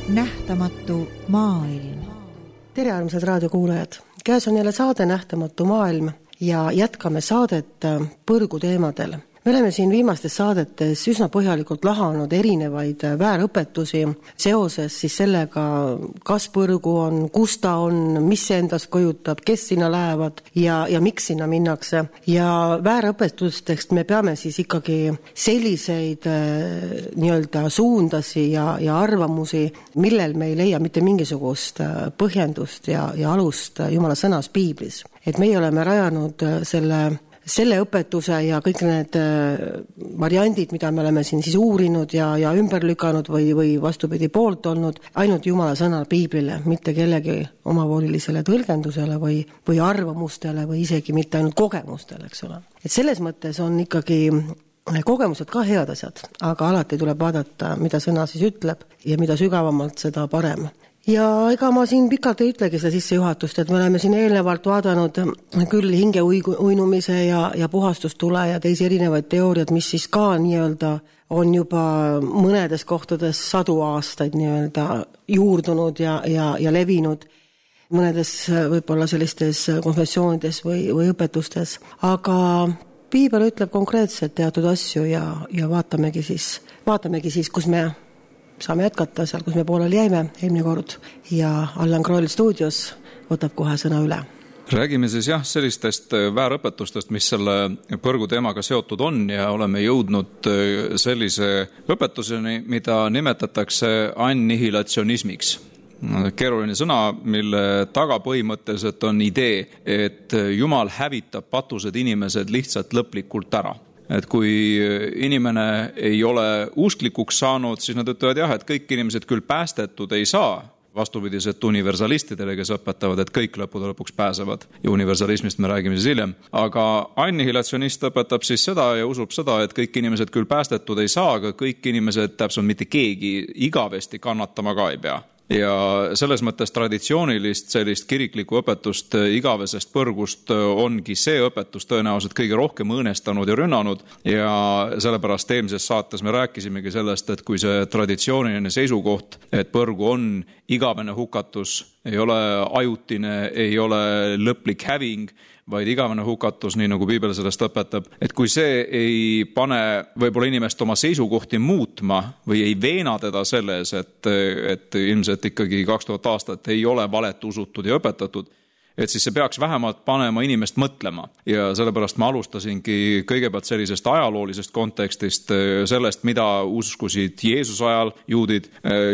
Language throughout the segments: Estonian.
Nähtamatu maailm. Tere armsad raadiokuulajad! Käes on jälle saade Nähtamatu maailm ja jätkame saadet põrgu teemadel. Me oleme siin viimastes saadetes üsna põhjalikult lahanud erinevaid väärõpetusi seoses siis sellega, kas põrgu on, kus ta on, mis see endast kujutab, kes sinna lähevad ja miks sinna minnakse. Ja väärõpetustest me peame siis ikkagi selliseid nii-öelda suundasi ja arvamusi, millel me ei leia mitte mingisugust põhjendust ja alust Jumala sõnas Piiblis. Et meie oleme rajanud selle õpetuse ja kõik need variandid, mida me oleme siin siis uurinud ja ümber lükanud või vastupidi poolt olnud, ainult Jumala sõnal Piiblile, mitte kellegi omavolilisele tõlgendusele või arvamustele või isegi mitte ainult kogemustele, eks ole. Et selles mõttes on ikkagi kogemused ka head asjad, aga alati tuleb vaadata, mida sõna siis ütleb ja mida sügavamalt, seda parem. Ja ega ma siin pikalt ei ütlegi seda sissejuhatust, et me oleme siin eelnevalt vaadanud küll hinge uinumise ja puhastustule ja teisi erinevaid teooriad, mis siis ka nii-öelda on juba mõnedes kohtades 100 aastaid nii-öelda juurdunud ja levinud mõnedes võib-olla sellistes konfessioonides või õpetustes. Aga Piibel ütleb konkreetselt teatud asju ja vaatamegi siis, kus me saame jätkata seal, kus me pooleli jäime eelmine kord ja Allan Kroll stuudios võtab kohe sõna üle. Räägime siis sellistest väärõpetustest, mis selle põrgu teemaga seotud on ja oleme jõudnud sellise õpetuseni, mida nimetatakse annihilatsionismiks. Keeruline sõna, mille taga põhimõtteliselt on idee, et Jumal hävitab patused inimesed lihtsalt lõplikult ära. Et kui inimene ei ole usklikuks saanud, siis nad ütlevad et kõik inimesed küll päästetud ei saa, vastupidiselt universalistidele, kes õpetavad, et kõik lõppude lõpuks pääsevad. Ja universalismist me räägime siis hiljem. Aga annihilatsionist õpetab siis seda ja usub seda, et kõik inimesed küll päästetud ei saa, aga kõik inimesed täpselt mitte keegi igavesti kannatama ka ei pea. Ja selles mõttes traditsioonilist sellist kiriklikku õpetust igavesest põrgust ongi see õpetus tõenäoliselt kõige rohkem õõnestanud ja rünnanud ja sellepärast eelmises saates me rääkisimegi sellest, et kui see traditsiooniline seisukoht, et põrgu on igavene hukatus, ei ole ajutine, ei ole lõplik häving, vaid igavene hukatus, nii nagu Piibel sellest õpetab, et kui see ei pane võib-olla inimest oma seisukohti muutma või ei veena teda selles, et ilmselt ikkagi 2000 aastat ei ole valet usutud ja õpetatud, et siis see peaks vähemalt panema inimest mõtlema. Ja sellepärast ma alustasingi kõigepealt sellisest ajaloolisest kontekstist, sellest, mida uskusid Jeesus ajal juudid.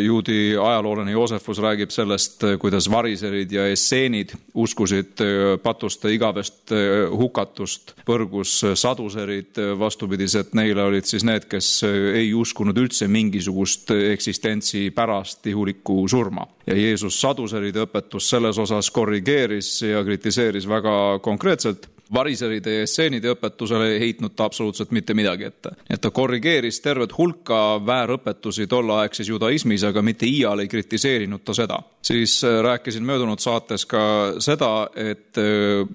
Juudi ajaloolane Joosefus räägib sellest, kuidas variserid ja esseenid uskusid patuste igavest hukatust. Põrgus saduserid vastupidiselt neile olid siis need, kes ei uskunud üldse mingisugust eksistentsi pärast ihulikku surma. Ja Jeesus saduseride õpetus selles osas korrigeeris ja kritiseeris väga konkreetselt. Variseride ja esseenide õpetusele ei heitnud ta absoluutselt mitte midagi ette. Et ta korrigeeris tervet hulka väärõpetusi tolleaegses judaismis, aga mitte iial ei kritiseerinud ta seda. Siis rääkisin möödunud saates ka seda, et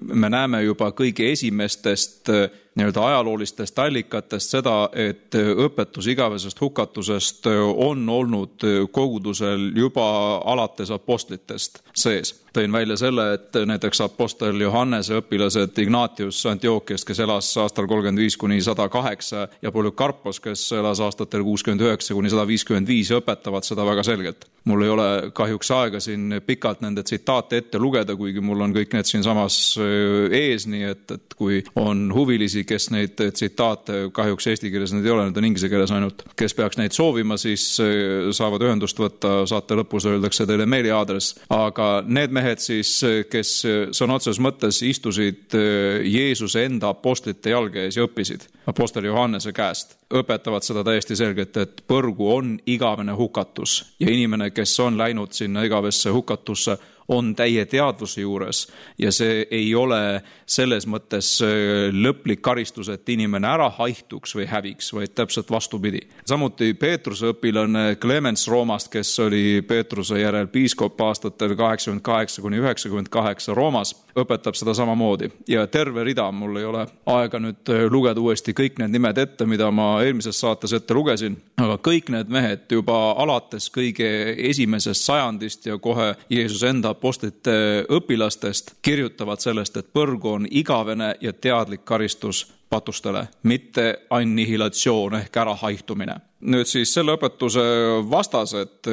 me näeme juba kõige esimestest nii-öelda ajaloolistest allikatest seda, et õpetus igavesest hukatusest on olnud kogudusel juba alates apostlitest sees. Tõin välja selle, et näiteks apostel Johannese õpilased Ignatius Antiochiast, kes elas aastal 35–108 ja Polükarpos, kes elas aastatel 69–155 õpetavad seda väga selgelt. Mul ei ole kahjuks aega siin pikalt nende tsitaate ette lugeda, kuigi mul on kõik need siin samas ees, nii et kui on huvilisi, kes neid tsitaate, kahjuks eesti keeles need ei ole, need on inglise keeles ainult, kes peaks neid soovima, siis saavad ühendust võtta, saate lõpus öeldakse teile meiliaadress, aga need mehed siis, kes sõna otseses mõttes istusid Jeesuse enda apostlite jalge ees ja õppisid apostel Johannese käest, õpetavad seda täiesti selgelt, et põrgu on igavene hukatus ja inimene, kes on läinud sinna igavesse hukatusse, on täie teadvuse juures ja see ei ole selles mõttes lõplik karistus, et inimene ära haihtuks või häviks, vaid täpselt vastupidi. Samuti Peetruse õpilane Clemens Roomast, kes oli Peetruse järel piiskop aastatel 88–98 Roomas, õpetab seda samamoodi ja terve rida, mul ei ole aega nüüd lugeda uuesti kõik need nimed ette, mida ma eelmises saates ette lugesin, aga kõik need mehed juba alates kõige esimesest sajandist ja kohe Jeesus enda apostlite õpilastest kirjutavad sellest, et põrgu on igavene ja teadlik karistus patustele, mitte annihilatsioon ehk ärahaihtumine. Nüüd siis selle õpetuse vastased,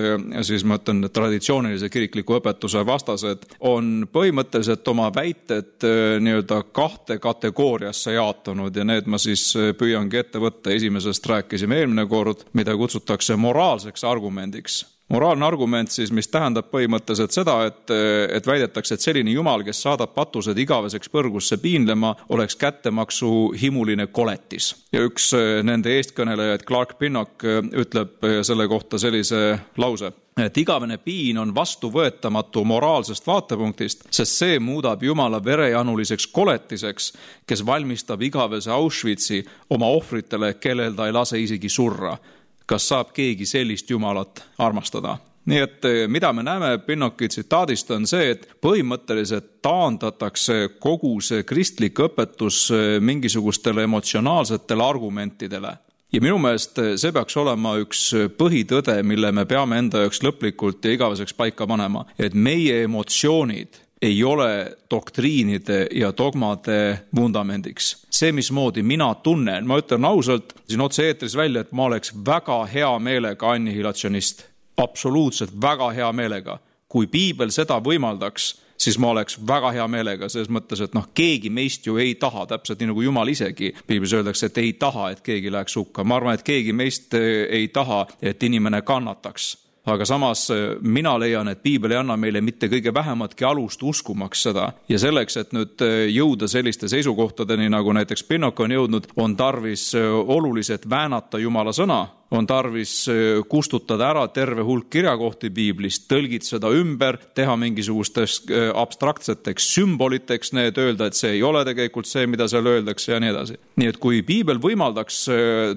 siis ma ütlen traditsioonilise kirikliku õpetuse vastased, on põhimõtteliselt oma väited nii-öelda kahte kategooriasse jaotunud ja need ma siis püüangi ette võtta. Esimesest rääkisime eelmine kord, mida kutsutakse moraalseks argumendiks. Moraalne argument siis, mis tähendab põhimõtteliselt seda, et väidetakse, et selline Jumal, kes saadab patused igaveseks põrgusse piinlema, oleks kättemaksu himuline koletis. Ja üks nende eestkõnelejaid, Clark Pinnock, ütleb selle kohta sellise lause, et igavene piin on vastuvõetamatu moraalsest vaatepunktist, sest see muudab Jumala verejanuliseks koletiseks, kes valmistab igavese Auschwitzi oma ohvritele, kellel ta ei lase isegi surra. Kas saab keegi sellist Jumalat armastada? Nii et mida me näeme Pinnocki tsitaadist on see, et põhimõtteliselt taandatakse kogu see kristlik õpetus mingisugustele emotsionaalsetele argumentidele. Ja minu meelest see peaks olema üks põhitõde, mille me peame enda jaoks lõplikult ja igaveseks paika panema, et meie emotsioonid ei ole doktriinide ja dogmade vundamendiks. See, mismoodi mina tunnen, ma ütlen ausalt siin otse-eetris välja, et ma oleks väga hea meelega annihilatsionist. Absoluutselt väga hea meelega. Kui piibel seda võimaldaks, siis ma oleks väga hea meelega, selles mõttes, et keegi meist ju ei taha, täpselt nii nagu Jumal isegi. Piiblis öeldakse, et ei taha, et keegi läheks hukka. Ma arvan, et keegi meist ei taha, et inimene kannataks. Aga samas mina leian, et piibel ei anna meile mitte kõige vähematki alust uskumaks seda. Ja selleks, et nüüd jõuda selliste seisukohtadeni, nagu näiteks Pinnock on jõudnud, on tarvis oluliselt väänata Jumala sõna, on tarvis kustutada ära terve hulk kirjakohti piiblist, tõlgid seda ümber, teha mingisugusteks abstraktseteks sümboliteks, need öelda, et see ei ole tegelikult see, mida seal öeldakse ja nii edasi. Nii et kui piibel võimaldaks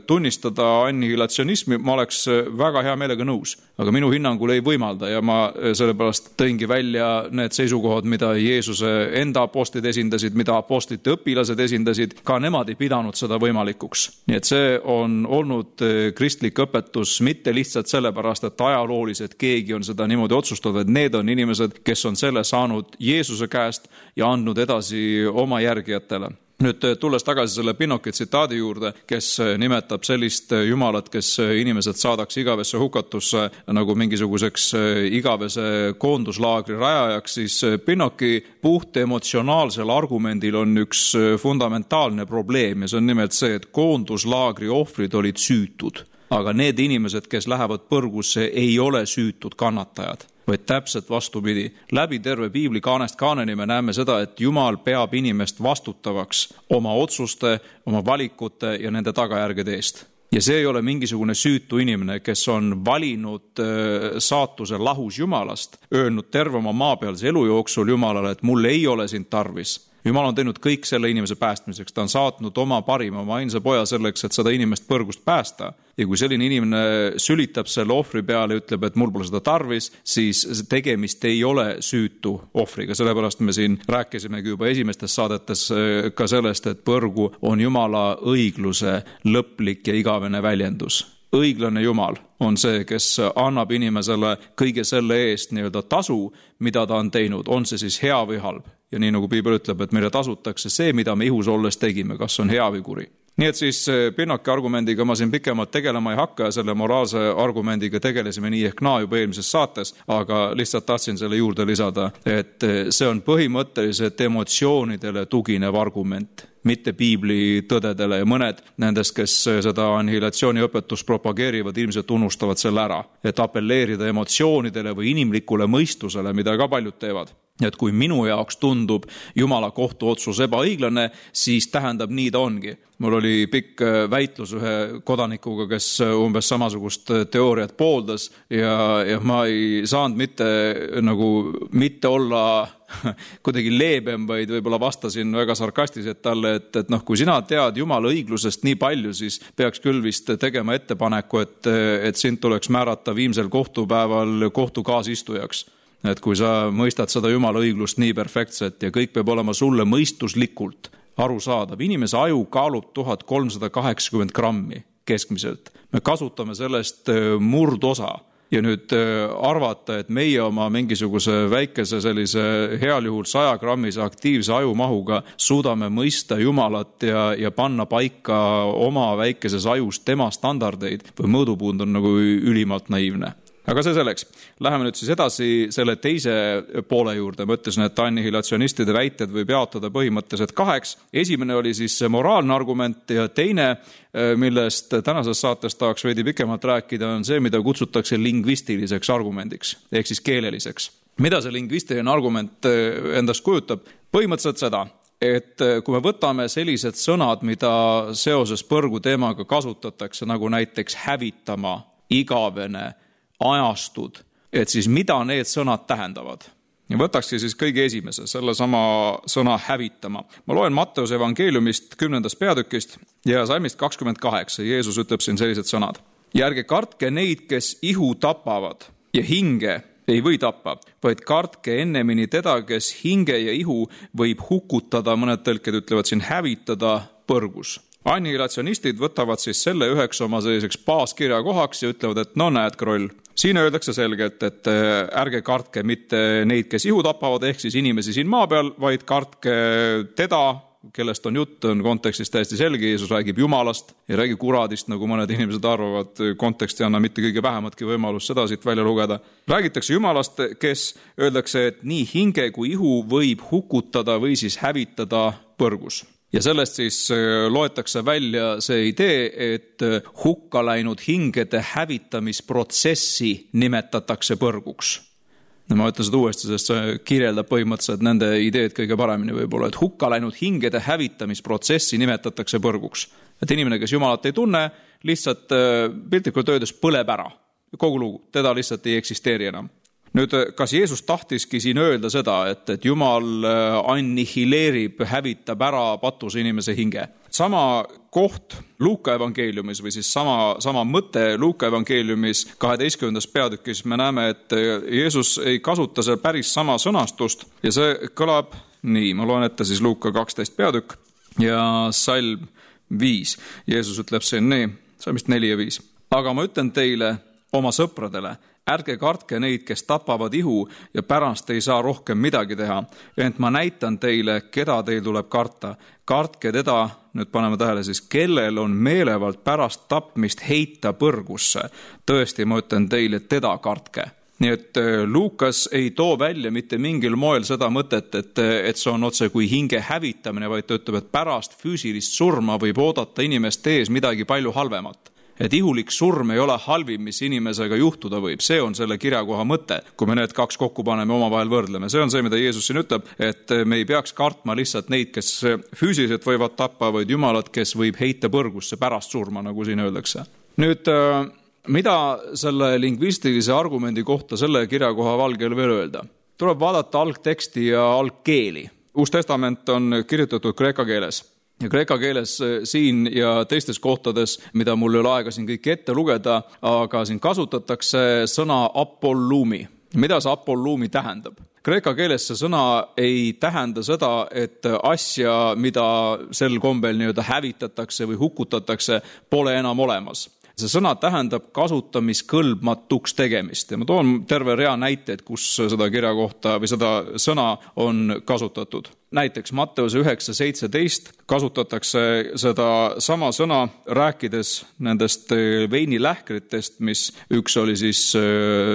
tunnistada annihilatsionismi, ma oleks väga hea meelega nõus, aga minu hinnangul ei võimalda ja ma sellepärast tõingi välja need seisukohad, mida Jeesuse enda apostlid esindasid, mida apostlite õpilased esindasid, ka nemad ei pidanud seda võimalikuks. Nii et see on olnud kristlik õpetus mitte lihtsalt sellepärast, et ajalooliselt keegi on seda niimoodi otsustanud, et need on inimesed, kes on selle saanud Jeesuse käest ja andnud edasi oma järgijatele. Nüüd tulles tagasi selle Pinnocki tsitaadi juurde, kes nimetab sellist Jumalat, kes inimesed saadaks igavesse hukatusse nagu mingisuguseks igavese koonduslaagri rajajaks, siis Pinnocki puht emotsionaalsel argumendil on üks fundamentaalne probleem ja see on nimelt see, et koonduslaagri ohvrid olid süütud. Aga need inimesed, kes lähevad põrgusse, ei ole süütud kannatajad, vaid täpselt vastupidi. Läbi terve piibli kaanest kaaneni me näeme seda, et Jumal peab inimest vastutavaks oma otsuste, oma valikute ja nende tagajärgede eest. Ja see ei ole mingisugune süütu inimene, kes on valinud saatuse lahus Jumalast, öelnud terve oma maapealse elu jooksul Jumalale, et mul ei ole sind tarvis. Jumal on teinud kõik selle inimese päästmiseks, ta on saatnud oma parima, oma ainsa poja selleks, et seda inimest põrgust päästa. Ja kui selline inimene sülitab selle ohvri peale ja ütleb, et mul pole seda tarvis, siis tegemist ei ole süütu ohvriga. Sellepärast me siin rääkisimegi juba esimestes saadetes ka sellest, et põrgu on Jumala õigluse lõplik ja igavene väljendus. Õiglane Jumal on see, kes annab inimesele kõige selle eest nii-öelda tasu, mida ta on teinud, on see siis hea või halb. Ja nii nagu piibel ütleb, et meile tasutakse see, mida me ihus olles tegime, kas on hea või kuri. Nii et siis Pinnocki argumendiga ma siin pikemalt tegelema ei hakka ja selle moraalse argumendiga tegelesime nii ehk naa juba eelmises saates, aga lihtsalt tahtsin selle juurde lisada, et see on põhimõtteliselt emotsioonidele tuginev argument, mitte piibli tõdedele ja mõned nendest, kes seda annihilatsiooni õpetust propageerivad, ilmselt unustavad selle ära, et appelleerida emotsioonidele või inimlikule mõistusele, mida ka paljud teevad. Et kui minu jaoks tundub Jumala kohtuotsus ebaõiglane, siis tähendab nii ta ongi. Mul oli pikk väitlus ühe kodanikuga, kes umbes samasugust teooriat pooldas ja ma ei saanud mitte olla kuidagi leebem, vaid võib-olla vastasin väga sarkastiliselt talle, et kui sina tead Jumala õiglusest nii palju, siis peaks küll vist tegema ettepaneku, et sind tuleks määrata viimsel kohtupäeval kohtu kaasistujaks. Et kui sa mõistad seda Jumala õiglust nii perfektselt ja kõik peab olema sulle mõistuslikult arusaadav. Inimese aju kaalub 1380 grammi keskmiselt. Me kasutame sellest murdosa ja nüüd arvata, et meie oma mingisuguse väikese sellise heal juhul 100 grammise aktiivse ajumahuga suudame mõista Jumalat ja panna paika oma väikeses ajus tema standardeid või mõõdupuund on nagu ülimalt naiivne. Aga see selleks. Läheme nüüd siis edasi selle teise poole juurde. Ma ütlesin, et annihilatsionistide väited võib jaotada põhimõtteliselt 2. Esimene oli siis moraalne argument ja teine, millest tänases saates tahaks veidi pikemalt rääkida, on see, mida kutsutakse lingvistiliseks argumendiks, ehk siis keeleliseks. Mida see lingvistiline argument endast kujutab? Põhimõtteliselt seda, et kui me võtame sellised sõnad, mida seoses põrgu teemaga kasutatakse, nagu näiteks hävitama, igavene, ajastud, et siis mida need sõnad tähendavad. Ja võtakski siis kõige esimese, selle sama sõna hävitama. Ma loen Matteuse evangeeliumist 10. peatükist ja salmist 28. Jeesus ütleb siin sellised sõnad. Ja ärge kartke neid, kes ihu tapavad ja hinge ei või tappa, vaid kartke ennemini teda, kes hinge ja ihu võib hukutada, mõned tõlked ütlevad siin hävitada põrgus. Annihilatsionistid võtavad siis selle üheks oma selliseks baaskirja kohaks ja ütlevad, et no näed, Kroll. Siin öeldakse selgelt, et ärge kartke mitte neid, kes ihu tapavad, ehk siis inimesi siin maa peal, vaid kartke teda, kellest on jutt, on kontekstis täiesti selge. Jeesus räägib Jumalast ja räägib kuradist, nagu mõned inimesed arvavad. Konteksti anna mitte kõige vähematki võimalus seda siit välja lugeda. Räägitakse Jumalast, kes öeldakse, et nii hinge kui ihu võib hukutada või siis hävitada põrgus. Ja sellest siis loetakse välja see idee, et hukka läinud hingede hävitamisprotsessi nimetatakse põrguks. Ma ütlen seda uuesti, sest see kirjeldab põhimõtteliselt nende ideed kõige paremini võib-olla, et hukka läinud hingede hävitamisprotsessi nimetatakse põrguks. Et inimene, kes Jumalat ei tunne, lihtsalt piltlikult öeldes põleb ära. Kogu lugu, teda lihtsalt ei eksisteeri enam. Nüüd, kas Jeesus tahtiski siin öelda seda, et Jumal annihileerib, hävitab ära patuse inimese hinge? Sama koht Luuka evangeeliumis või siis sama mõte Luuka evangeeliumis 12. peatükis me näeme, et Jeesus ei kasuta seal päris sama sõnastust ja see kõlab nii. Ma loen ette siis Luuka 12 peatükk ja salm 5. Jeesus ütleb siin nii, salmist 4 ja 5. Aga ma ütlen teile, oma sõpradele, ärge kartke neid, kes tapavad ihu ja pärast ei saa rohkem midagi teha. Ent ma näitan teile, keda teil tuleb karta. Kartke teda, nüüd paneme tähele siis, kellel on meelevalt pärast tapmist heita põrgusse. Tõesti, ma ütlen teile, teda kartke. Nii et Luukas ei too välja mitte mingil moel seda mõtet, et see on otse kui hinge hävitamine, vaid ta ütleb, et pärast füüsilist surma võib oodata inimest ees midagi palju halvemat. Et ihulik surm ei ole halvim, mis inimesega juhtuda võib. See on selle kirjakoha mõte, kui me need 2 kokku paneme omavahel võrdleme. See on see, mida Jeesus siin ütleb, et me ei peaks kartma lihtsalt neid, kes füüsiliselt võivad tappa, vaid Jumalat, kes võib heita põrgusse pärast surma, nagu siin öeldakse. Nüüd, mida selle lingvistilise argumendi kohta selle kirjakoha valgel veel öelda? Tuleb vaadata algteksti ja algkeeli. Uus testament on kirjutatud kreeka keeles. Ja kreeka keeles siin ja teistes kohtades, mida mul ei ole aega siin kõik ette lugeda, aga siin kasutatakse sõna apollumi. Mida see apollumi tähendab? Kreeka keeles see sõna ei tähenda seda, et asja, mida sel kombel nii-öelda hävitatakse või hukutatakse, pole enam olemas. See sõna tähendab kasutamiskõlbmatuks tegemist ja ma toon terve rea näiteid, kus seda kirja kohta või seda sõna on kasutatud. Näiteks Matteuse 9:17 kasutatakse seda sama sõna rääkides nendest veinilähkritest, mis üks oli siis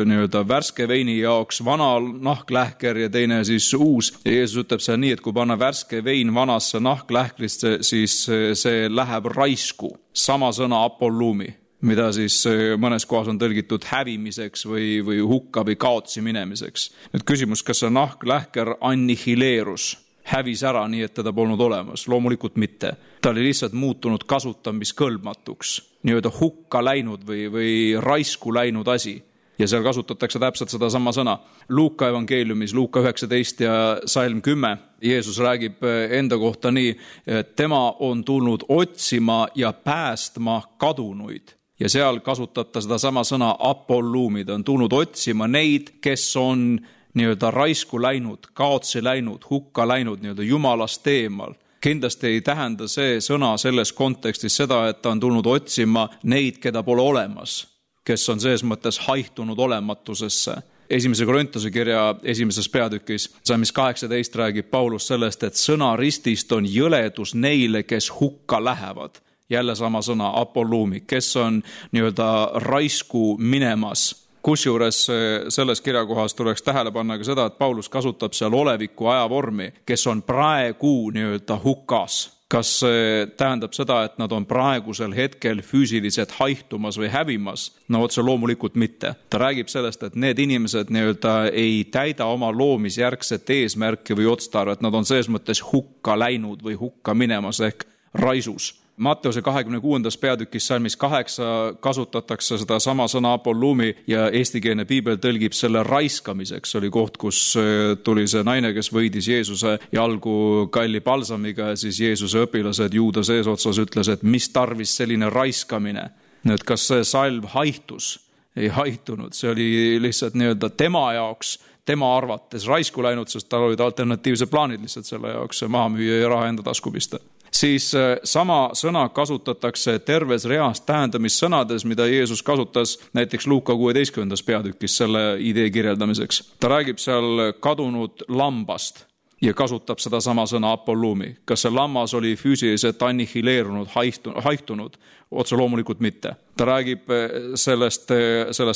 nii-öelda värske veini jaoks vana nahklähker ja teine siis uus. Ja Jeesus ütleb seal nii, et kui panna värske vein vanasse nahklähkrisse, siis see läheb raisku. Sama sõna apollumi, mida siis mõnes kohas on tõlgitud hävimiseks või hukka või kaotsi minemiseks. Nüüd küsimus, kas see nahklähker annihileerus, hävis ära nii, et teda polnud olemas? Loomulikult mitte. Ta oli lihtsalt muutunud kasutamiskõlbmatuks, nii-öelda hukka läinud või raisku läinud asi. Ja seal kasutatakse täpselt seda sama sõna. Luuka evangeeliumis, Luuka 19 ja salm 10, Jeesus räägib enda kohta nii, et tema on tulnud otsima ja päästma kadunuid. Ja seal kasutab ta seda sama sõna apollumi. Ta on tulnud otsima neid, kes on nii-öelda raisku läinud, kaotsi läinud, hukka läinud, nii-öelda jumalast eemal. Kindlasti ei tähenda see sõna selles kontekstis seda, et ta on tulnud otsima neid, keda pole olemas, kes on selles mõttes haihtunud olematusesse. 1. Korintuse kirja 1. peatükis, salmis 18 räägib Paulus sellest, et sõna ristist on jõledus neile, kes hukka lähevad. Jälle sama sõna apollumi, kes on nii-öelda raisku minemas. Kusjuures selles kirjakohas tuleks tähele panna ka seda, et Paulus kasutab seal oleviku ajavormi, kes on praegu nii-öelda hukas. Kas see tähendab seda, et nad on praegusel hetkel füüsiliselt haihtumas või hävimas? No otse loomulikult mitte. Ta räägib sellest, et need inimesed nii-öelda ei täida oma loomisjärgset eesmärki või otstarvet. Nad on selles mõttes hukka läinud või hukka minemas ehk raisus. Matteuse 26. peatükis salmis 8 kasutatakse seda sama sõna apollumi ja eestikeelne piibel tõlgib selle raiskamiseks. Oli koht, kus tuli see naine, kes võidis Jeesuse jalgu kalli palsamiga ja siis Jeesuse õpilased juuda seesotsas ütles, et mis tarvis selline raiskamine. Nüüd, kas see salv haihtus? Ei haihtunud, see oli lihtsalt nii-öelda tema jaoks, tema arvates raisku läinud, sest tal olid alternatiivse plaanid lihtsalt selle jaoks maha müüa ja raha enda tasku pista. Siis sama sõna kasutatakse terves reas tähendamissõnades, mida Jeesus kasutas näiteks Luuka 16. peatükis selle idee kirjeldamiseks. Ta räägib seal kadunud lambast ja kasutab seda sama sõna apollumi. Kas see lammas oli füüsiliselt annihileerunud, haihtunud? Otse loomulikult mitte. Ta räägib sellest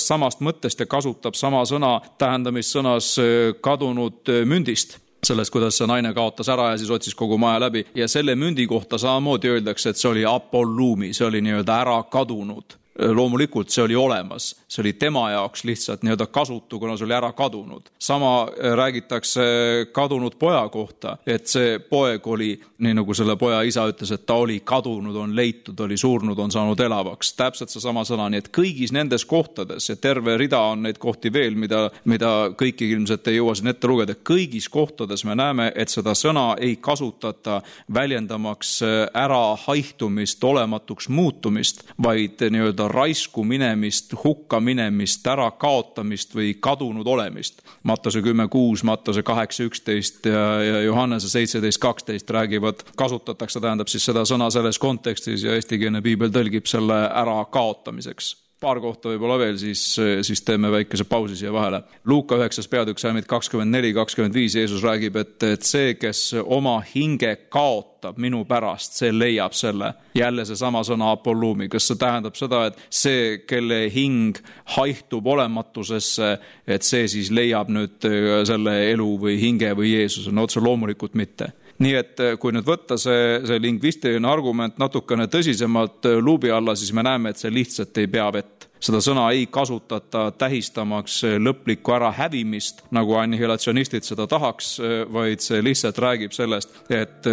samast mõttest ja kasutab sama sõna tähendamissõnas kadunud mündist. Sellest, kuidas see naine kaotas ära ja siis otsis kogu maja läbi. Ja selle mündi kohta samamoodi öeldakse, et see oli apollumi, see oli nii-öelda ära kadunud. Loomulikult see oli olemas, see oli tema jaoks lihtsalt nii-öelda kasutu, kuna see oli ära kadunud. Sama räägitakse kadunud poja kohta, et see poeg oli, nii nagu selle poja isa ütles, et ta oli kadunud, on leitud, oli surnud, on saanud elavaks. Täpselt see sama sõna, nii et kõigis nendes kohtades, ja terve rida on neid kohti veel, mida kõiki ilmselt ei jõua siin ette lugeda, kõigis kohtades me näeme, et seda sõna ei kasutata väljendamaks ära haihtumist, olematuks muutumist, vaid nii-öelda raisku minemist, hukka minemist, ära kaotamist või kadunud olemist. Matteuse 10.6, Matteuse 8.11 ja Johannese 17.12 räägivad, kasutatakse, tähendab siis seda sõna selles kontekstis ja eestikeelne piibel tõlgib selle ära kaotamiseks. Paar kohta võib-olla veel, siis teeme väikese pausi siia vahele. Luuka 9. peatükk salmid 24-25 Jeesus räägib, et see, kes oma hinge kaotab minu pärast, see leiab selle. Jälle see sama sõna apollumi. Kas see tähendab seda, et see, kelle hing haihtub olematusesse, et see siis leiab nüüd selle elu või hinge või Jeesuse? No otse loomulikult mitte. Nii et kui nüüd võtta see lingvistiline argument natukene tõsisemalt luubi alla, siis me näeme, et see lihtsalt ei pea vett. Seda sõna ei kasutata tähistamaks lõplikku ära hävimist, nagu annihilatsionistid seda tahaks, vaid see lihtsalt räägib sellest, et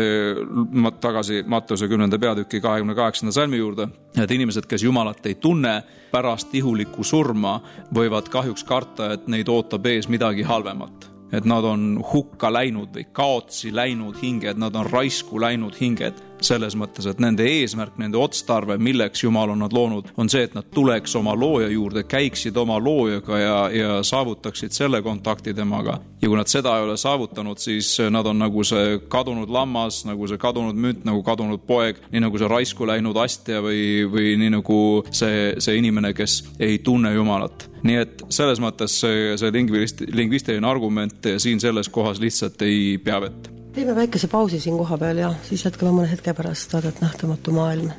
tagasi Matteuse 10. peatüki 28. salmi juurde, et inimesed, kes Jumalat ei tunne pärast ihulikku surma, võivad kahjuks karta, et neid ootab ees midagi halvemat. Et nad on hukka läinud või kaotsi läinud hinged, nad on raisku läinud hinged. Selles mõttes, et nende eesmärk, nende otstarve, milleks Jumal on nad loonud, on see, et nad tuleks oma looja juurde, käiksid oma loojaga ja saavutaksid selle kontakti temaga. Ja kui nad seda ei ole saavutanud, siis nad on nagu see kadunud lammas, nagu see kadunud münt, nagu kadunud poeg, nii nagu see raisku läinud astja või nii nagu see inimene, kes ei tunne Jumalat. Nii et selles mõttes see lingvistiline argument siin selles kohas lihtsalt ei pea vett. Teeme väikese pausi siin koha peal ja siis jätkame mõne hetke pärast saadet Nähtamatu maailm.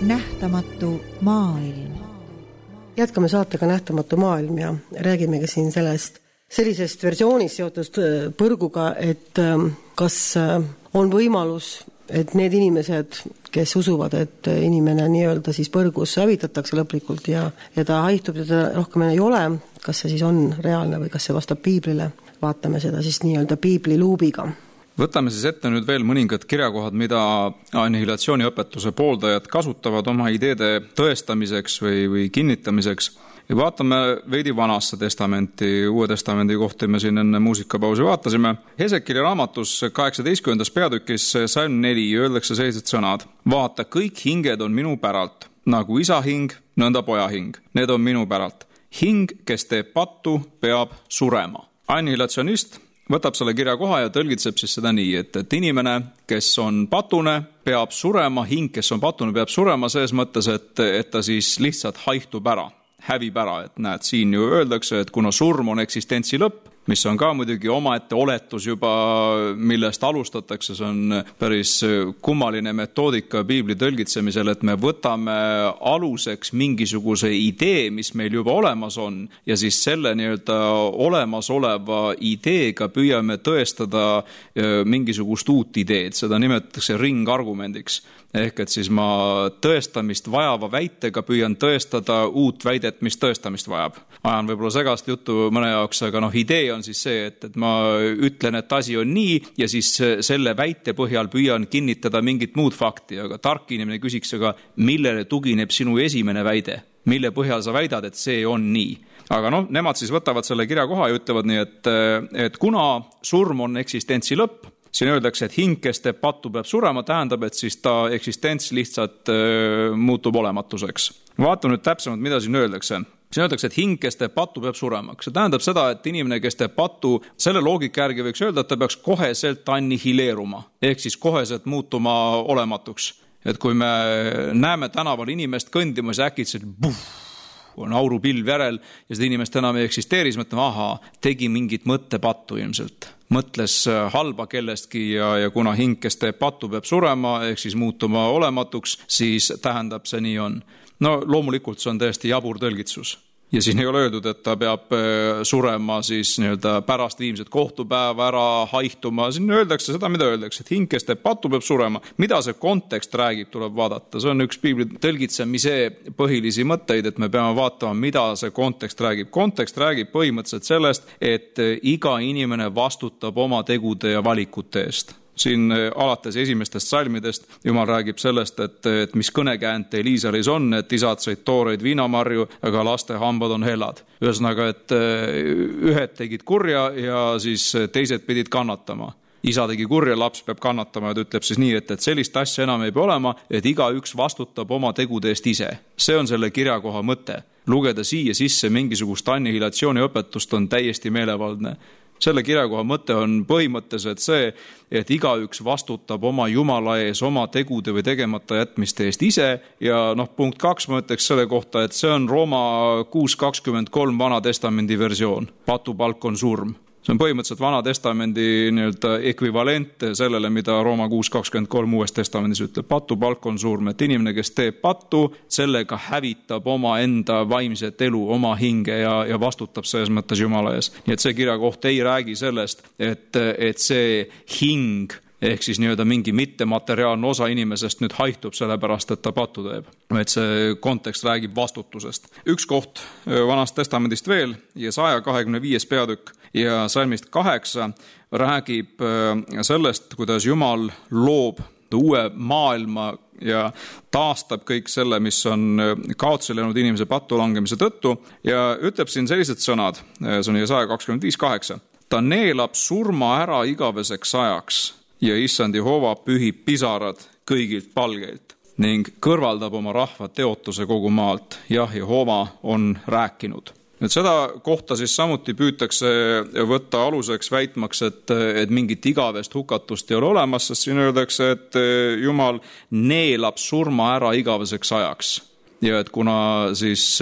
Nähtamatu maailm. Jätkame saatega Nähtamatu maailm ja räägimegi siin sellisest versioonist seotud põrguga, et kas on võimalus, et need inimesed, kes usuvad, et inimene nii-öelda siis põrgus hävitatakse lõplikult ja ta haihtub ja ta rohkem ei ole, kas see siis on reaalne või kas see vastab piiblile, vaatame seda siis nii-öelda piibli luubiga. Võtame siis ette nüüd veel mõningad kirjakohad, mida annihilatsiooniõpetuse pooldajad kasutavad oma ideede tõestamiseks või kinnitamiseks. Ja vaatame veidi Vanasse testamenti, Uue testamendi kohta me siin enne muusikapausi vaatasime. Hesekili raamatus 18. peatükis salm 4 öeldakse sellised sõnad. Vaata, kõik hinged on minu päralt, nagu isa hing, nõnda poja hing. Need on minu päralt. Hing, kes teeb pattu, peab surema. Annihilatsionist võtab selle kirja koha ja tõlgitseb siis seda nii, et inimene, kes on patune, peab surema, hing, kes on patune, peab surema selles mõttes, et ta siis lihtsalt haihtub ära, hävib ära, et näed, siin ju öeldakse, et kuna surm on eksistentsi lõpp, mis on ka muidugi omaette oletus juba, millest alustatakse, see on päris kummaline metoodika piibli tõlgitsemisel, et me võtame aluseks mingisuguse idee, mis meil juba olemas on, ja siis selle nii-öelda olemasoleva ideega püüame tõestada mingisugust uut ideed, seda nimetatakse ringargumendiks. Ehk et siis ma tõestamist vajava väitega püüan tõestada uut väidet, mis tõestamist vajab. Ajan võib-olla segast juttu mõne jaoks, aga idee on siis see, et ma ütlen, et asi on nii ja siis selle väite põhjal püüan kinnitada mingit muud fakti, aga tark inimene küsiks, aga millele tugineb sinu esimene väide? Mille põhjal sa väidad, et see on nii? Aga nemad siis võtavad selle kirjakoha ja ütlevad nii, et kuna surm on eksistentsi lõpp, siin öeldakse, et hing, kes teeb pattu, peab surema, tähendab, et siis ta eksistents lihtsalt muutub olematuseks. Vaatame nüüd täpsemalt, mida siin öeldakse. Siin öeldakse, et hing, kes teeb pattu, peab surema. See tähendab seda, et inimene, kes teeb pattu, selle loogika järgi võiks öelda, et ta peaks koheselt annihileeruma, ehk siis koheselt muutuma olematuks. Et kui me näeme tänaval inimest kõndimas ja äkitselt on aurupilv järel ja seda inimest enam ei eksisteeri, siis mõtleme, tegi mingit mõttepattu ilmselt. Mõtles halba kellestki ja kuna hing, kes teeb pattu, peab surema, ehk siis muutuma olematuks, siis tähendab see nii on. Loomulikult see on täiesti jabur tõlgitsus. Ja siin ei ole öeldud, et ta peab surema siis pärast viimset kohtupäeva ära haihtuma. Siin öeldakse seda, mida öeldakse, et hing, kes teeb pattu, peab surema. Mida see kontekst räägib, tuleb vaadata. See on üks piibli tõlgitsemise põhilisi mõtteid, et me peame vaatama, mida see kontekst räägib. Kontekst räägib põhimõtteliselt sellest, et iga inimene vastutab oma tegude ja valikute eest. Siin alates esimestest salmidest Jumal räägib sellest, et mis kõnekäänt teil Iisraelis on, et isad sõid tooreid viinamarju, aga laste hambad on hellad. Ühesõnaga, et ühed tegid kurja ja siis teised pidid kannatama. Isa tegi kurja, laps peab kannatama ja ta ütleb siis nii, et sellist asja enam ei pea olema, et igaüks vastutab oma tegude eest ise. See on selle kirjakoha mõte. Lugeda siia sisse mingisugust annihilatsiooni õpetust on täiesti meelevaldne. Selle kirjakoha mõte on põhimõtteliselt see, et igaüks vastutab oma Jumala ees oma tegude või tegemata jätmiste eest ise ja punkt 2 ma ütleks selle kohta, et see on Rooma 6.23 Vana Testamendi versioon. Patupalk on surm. See on põhimõtteliselt Vana Testamendi ekvivalent sellele, mida Rooma 6.23 Uues Testamendis ütleb. Patupalk on surm, et inimene, kes teeb pattu, sellega hävitab oma enda vaimset elu, oma hinge ja vastutab selles mõttes Jumala ees. Nii et see kirjakoht ei räägi sellest, et see hing ehk siis mingi mittemateriaalne osa inimesest nüüd haihtub sellepärast, et ta pattu teeb. Et see kontekst räägib vastutusest. Üks koht Vanast Testamendist veel, Jesaja 25. peatükk ja salmist 8 räägib sellest, kuidas Jumal loob uue maailma ja taastab kõik selle, mis on kaotsi läinud inimese pattu langemise tõttu ja ütleb siin sellised sõnad, see on Jesaja 25.8. Ta neelab surma ära igaveseks ajaks ja issand Jehova pühib pisarad kõigilt palgeilt ning kõrvaldab oma rahva teotuse kogu maalt. Jah, Jehova on rääkinud. Nüüd seda kohta siis samuti püütakse võtta aluseks väitmaks, et mingit igavest hukatust ei ole olemas, sest siin öeldakse, et Jumal neelab surma ära igaveseks ajaks. Ja et kuna siis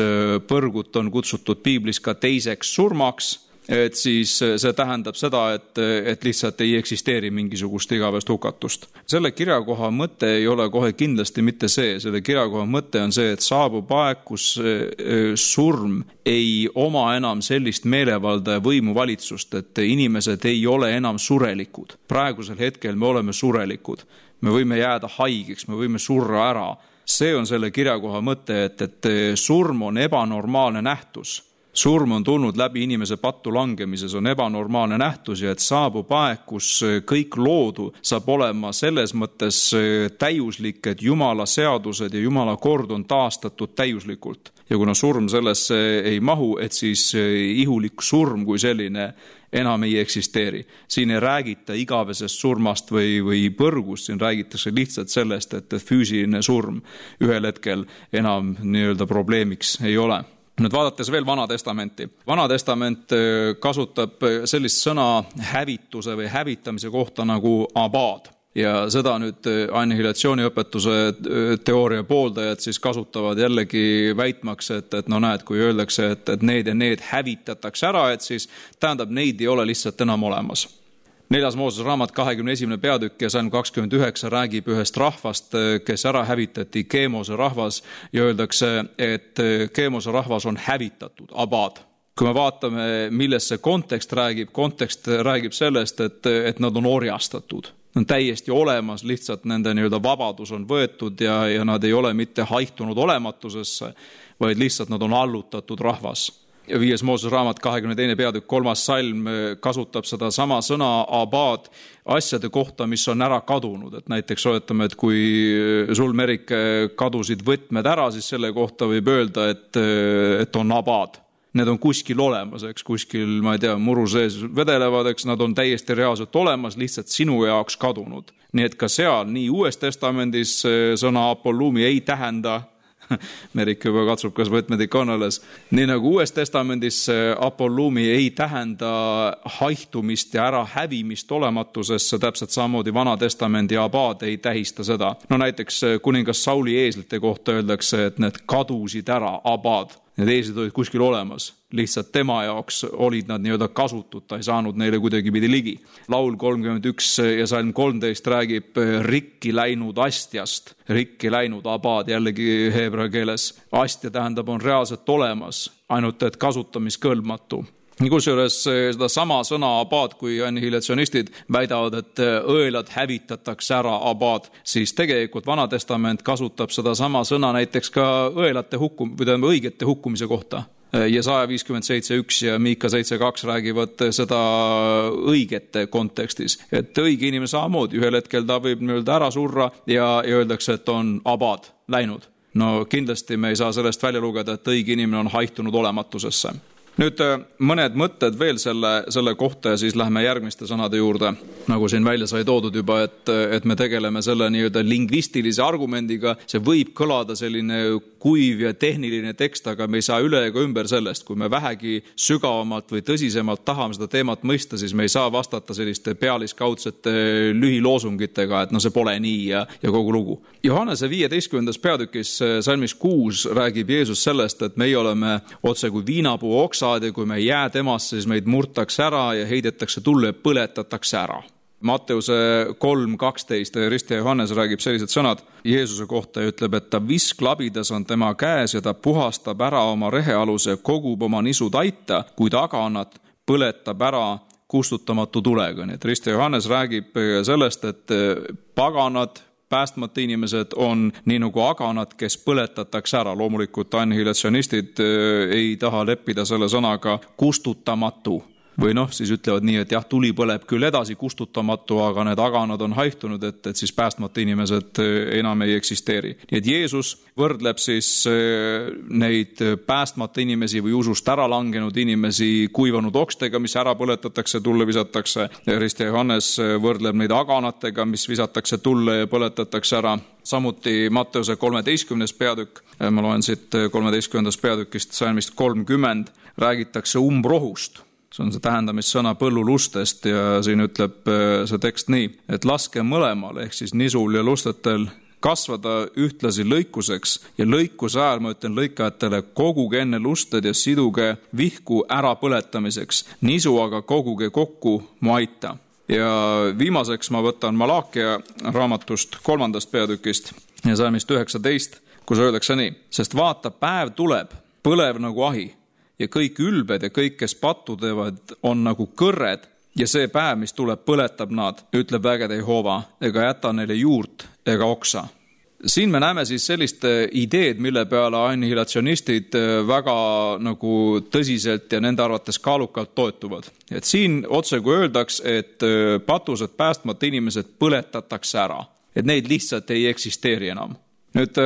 põrgut on kutsutud piiblis ka teiseks surmaks, et siis see tähendab seda, et lihtsalt ei eksisteeri mingisugust igavest hukatust. Selle kirjakoha mõte ei ole kohe kindlasti mitte see. Selle kirjakoha mõte on see, et saabub aeg, kus surm ei oma enam sellist meelevalda ja võimuvalitsust, et inimesed ei ole enam surelikud. Praegusel hetkel me oleme surelikud. Me võime jääda haigeks, me võime surra ära. See on selle kirjakoha mõte, et surm on ebanormaalne nähtus. Surm on tulnud läbi inimese pattu langemises, on ebanormaalne nähtus ja et saabub aeg, kus kõik loodu saab olema selles mõttes täiuslik, et Jumala seadused ja Jumala kord on taastatud täiuslikult. Ja kuna surm sellesse ei mahu, et siis ihulik surm kui selline enam ei eksisteeri. Siin ei räägita igavesest surmast või põrgust, siin räägitakse lihtsalt sellest, et füüsiline surm ühel hetkel enam probleemiks ei ole. Nüüd vaadates veel Vana Testamenti. Vana Testament kasutab sellist sõna hävituse või hävitamise kohta nagu abad. Ja seda nüüd annihilatsiooniõpetuse teooria pooldajad siis kasutavad jällegi väitmaks, et näed, kui öeldakse, et need ja need hävitatakse ära, et siis tähendab, neid ei ole lihtsalt enam olemas. 4. Moosese raamat 21. peatükk ja salm 29 räägib ühest rahvast, kes ära hävitati, Keemose rahvas, ja öeldakse, et Keemose rahvas on hävitatud, abad. Kui me vaatame, millest see kontekst räägib sellest, et nad on orjastatud. on täiesti olemas, lihtsalt nende nii-öelda vabadus on võetud ja nad ei ole mitte haihtunud olematusesse, vaid lihtsalt nad on allutatud rahvas. Ja 5. Moosese raamat 22. peatükk 3. salm kasutab seda sama sõna abad asjade kohta, mis on ära kadunud. Et näiteks oletame, et kui sul, Merike, kadusid võtmed ära, siis selle kohta võib öelda, et on abad. Need on kuskil olemas, eks, kuskil, ma ei tea, muru sees vedelevad, eks, nad on täiesti reaalselt olemas, lihtsalt sinu jaoks kadunud. Nii et ka seal, nii Uues Testamendis sõna apollumi ei tähenda, Merike juba katsub, kas võtmed ikka on alles. Nii nagu Uues Testamendis apollumi ei tähenda haihtumist ja ära hävimist olematusesse, täpselt samamoodi Vana Testamendi abad ei tähista seda. No näiteks kuningas Sauli eeslite kohta öeldakse, et need kadusid ära, abad. Need eeslid olid kuskil olemas, lihtsalt tema jaoks olid nad nii-öelda kasutud, ta ei saanud neile kuidagi pidi ligi. Laul 31 ja salm 13 räägib rikki läinud astjast, rikki läinud abad jällegi heebrea keeles. Astja tähendab on reaalselt olemas, ainult et kasutamiskõlbmatu. Kusjuures seda sama sõna abad, kui annihilatsionistid väidavad, et õelad hävitatakse ära abad, siis tegelikult Vana Testament kasutab seda sama sõna näiteks ka õelate õigete hukkumise kohta. Jesaja 57.1 ja Miika 7.2 räägivad seda õigete kontekstis. Et õige inimene samamoodi, ühel hetkel ta võib nii-öelda ära surra ja öeldakse, et on abad läinud. No kindlasti me ei saa sellest välja lugeda, et õige inimene on haihtunud olematusesse. Nüüd mõned mõtted veel selle kohta ja siis lähme järgmiste sõnade juurde. Nagu siin välja sai toodud juba, et me tegeleme selle nii-öelda lingvistilise argumendiga. See võib kõlada selline kuiv ja tehniline tekst, aga me ei saa üle ega ümber sellest. Kui me vähegi sügavamalt või tõsisemalt tahame seda teemat mõista, siis me ei saa vastata selliste pealiskaudsete lühiloosungitega, et no see pole nii ja kogu lugu. Johannese 15. peatükis salmis 6 räägib Jeesus sellest, et meie oleme otse kui viinapuu oksa, ja kui me jää temasse, siis meid murtakse ära ja heidetakse tulle ja põletatakse ära. Matteuse 3.12 Ristja Johannes räägib sellised sõnad Jeesuse kohta ja ütleb, et ta visklabidas on tema käes ja ta puhastab ära oma rehealuse, kogub oma nisu taita, kuid aganat põletab ära kustutamatu tulega. Nii et Ristja Johannes räägib sellest, et paganad, päästmata inimesed on nii nagu aganad, kes põletatakse ära. Loomulikult annihilatsionistid ei taha leppida selle sõnaga kustutamatu. Või siis ütlevad nii, et jah, tuli põleb küll edasi kustutamatu, aga need aganad on haihtunud, et siis päästmata inimesed enam ei eksisteeri. Nii et Jeesus võrdleb siis neid päästmata inimesi või usust ära langenud inimesi kuivanud okstega, mis ära põletatakse, tulle visatakse. Ristja Johannes võrdleb neid aganatega, mis visatakse tulle ja põletatakse ära. Samuti Matteuse 13. peatükk, ma loen siit 13. peatükist salmist 30, räägitakse umbrohust. See on see tähendamissõna põllulustest ja siin ütleb see tekst nii, et laske mõlemal ehk siis nisul ja lustetel kasvada ühtlasi lõikuseks ja lõikuse ajal, ma ütlen lõikajatele, koguge enne lusted ja siduge vihku ära põletamiseks, nisu aga koguge kokku mu aita. Ja viimaseks ma võtan Malakia raamatust 3. peatükist ja salmist 19, kus öeldakse nii, sest vaata, päev tuleb, põlev nagu ahi. Ja kõik ülbed ja kõik, kes pattu teevad, on nagu kõrred ja see päev, mis tuleb, põletab nad, ütleb vägede Jehova, ega jäta neile juurt ega oksa. Siin me näeme siis sellist ideed, mille peale annihilatsionistid väga nagu tõsiselt ja nende arvates kaalukalt toetuvad. Et siin otse kui öeldaks, et patused päästmata inimesed põletatakse ära, et neid lihtsalt ei eksisteeri enam. Nüüd,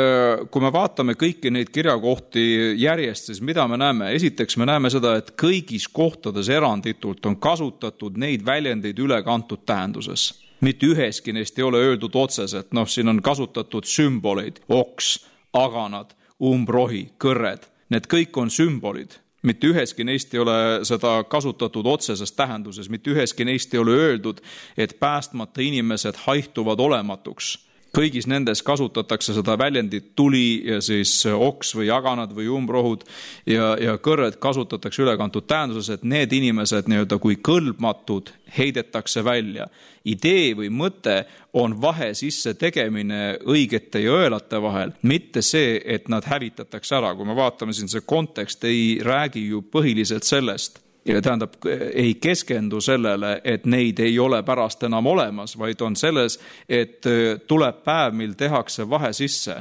kui me vaatame kõiki neid kirjakohti järjest, siis mida me näeme? Esiteks me näeme seda, et kõigis kohtades eranditult on kasutatud neid väljendeid ülekantud tähenduses. Mitte üheski neist ei ole öeldud otseselt, siin on kasutatud sümboleid, oks, aganad, umbrohi, kõrred. Need kõik on sümbolid. Mitte üheski neist ei ole seda kasutatud otseses tähenduses, mitte üheski neist ei ole öeldud, et päästmata inimesed haihtuvad olematuks. Kõigis nendes kasutatakse seda väljendit tuli ja siis oks või aganad või umbrohud ja kõrred kasutatakse ülekantud tähenduses, et need inimesed nii-öelda kui kõlbmatud heidetakse välja. Idee või mõte on vahe sisse tegemine õigete ja õelate vahel, mitte see, et nad hävitatakse ära. Kui me vaatame siin, see kontekst ei räägi ju põhiliselt sellest, ja tähendab, ei keskendu sellele, et neid ei ole pärast enam olemas, vaid on selles, et tuleb päev, mil tehakse vahe sisse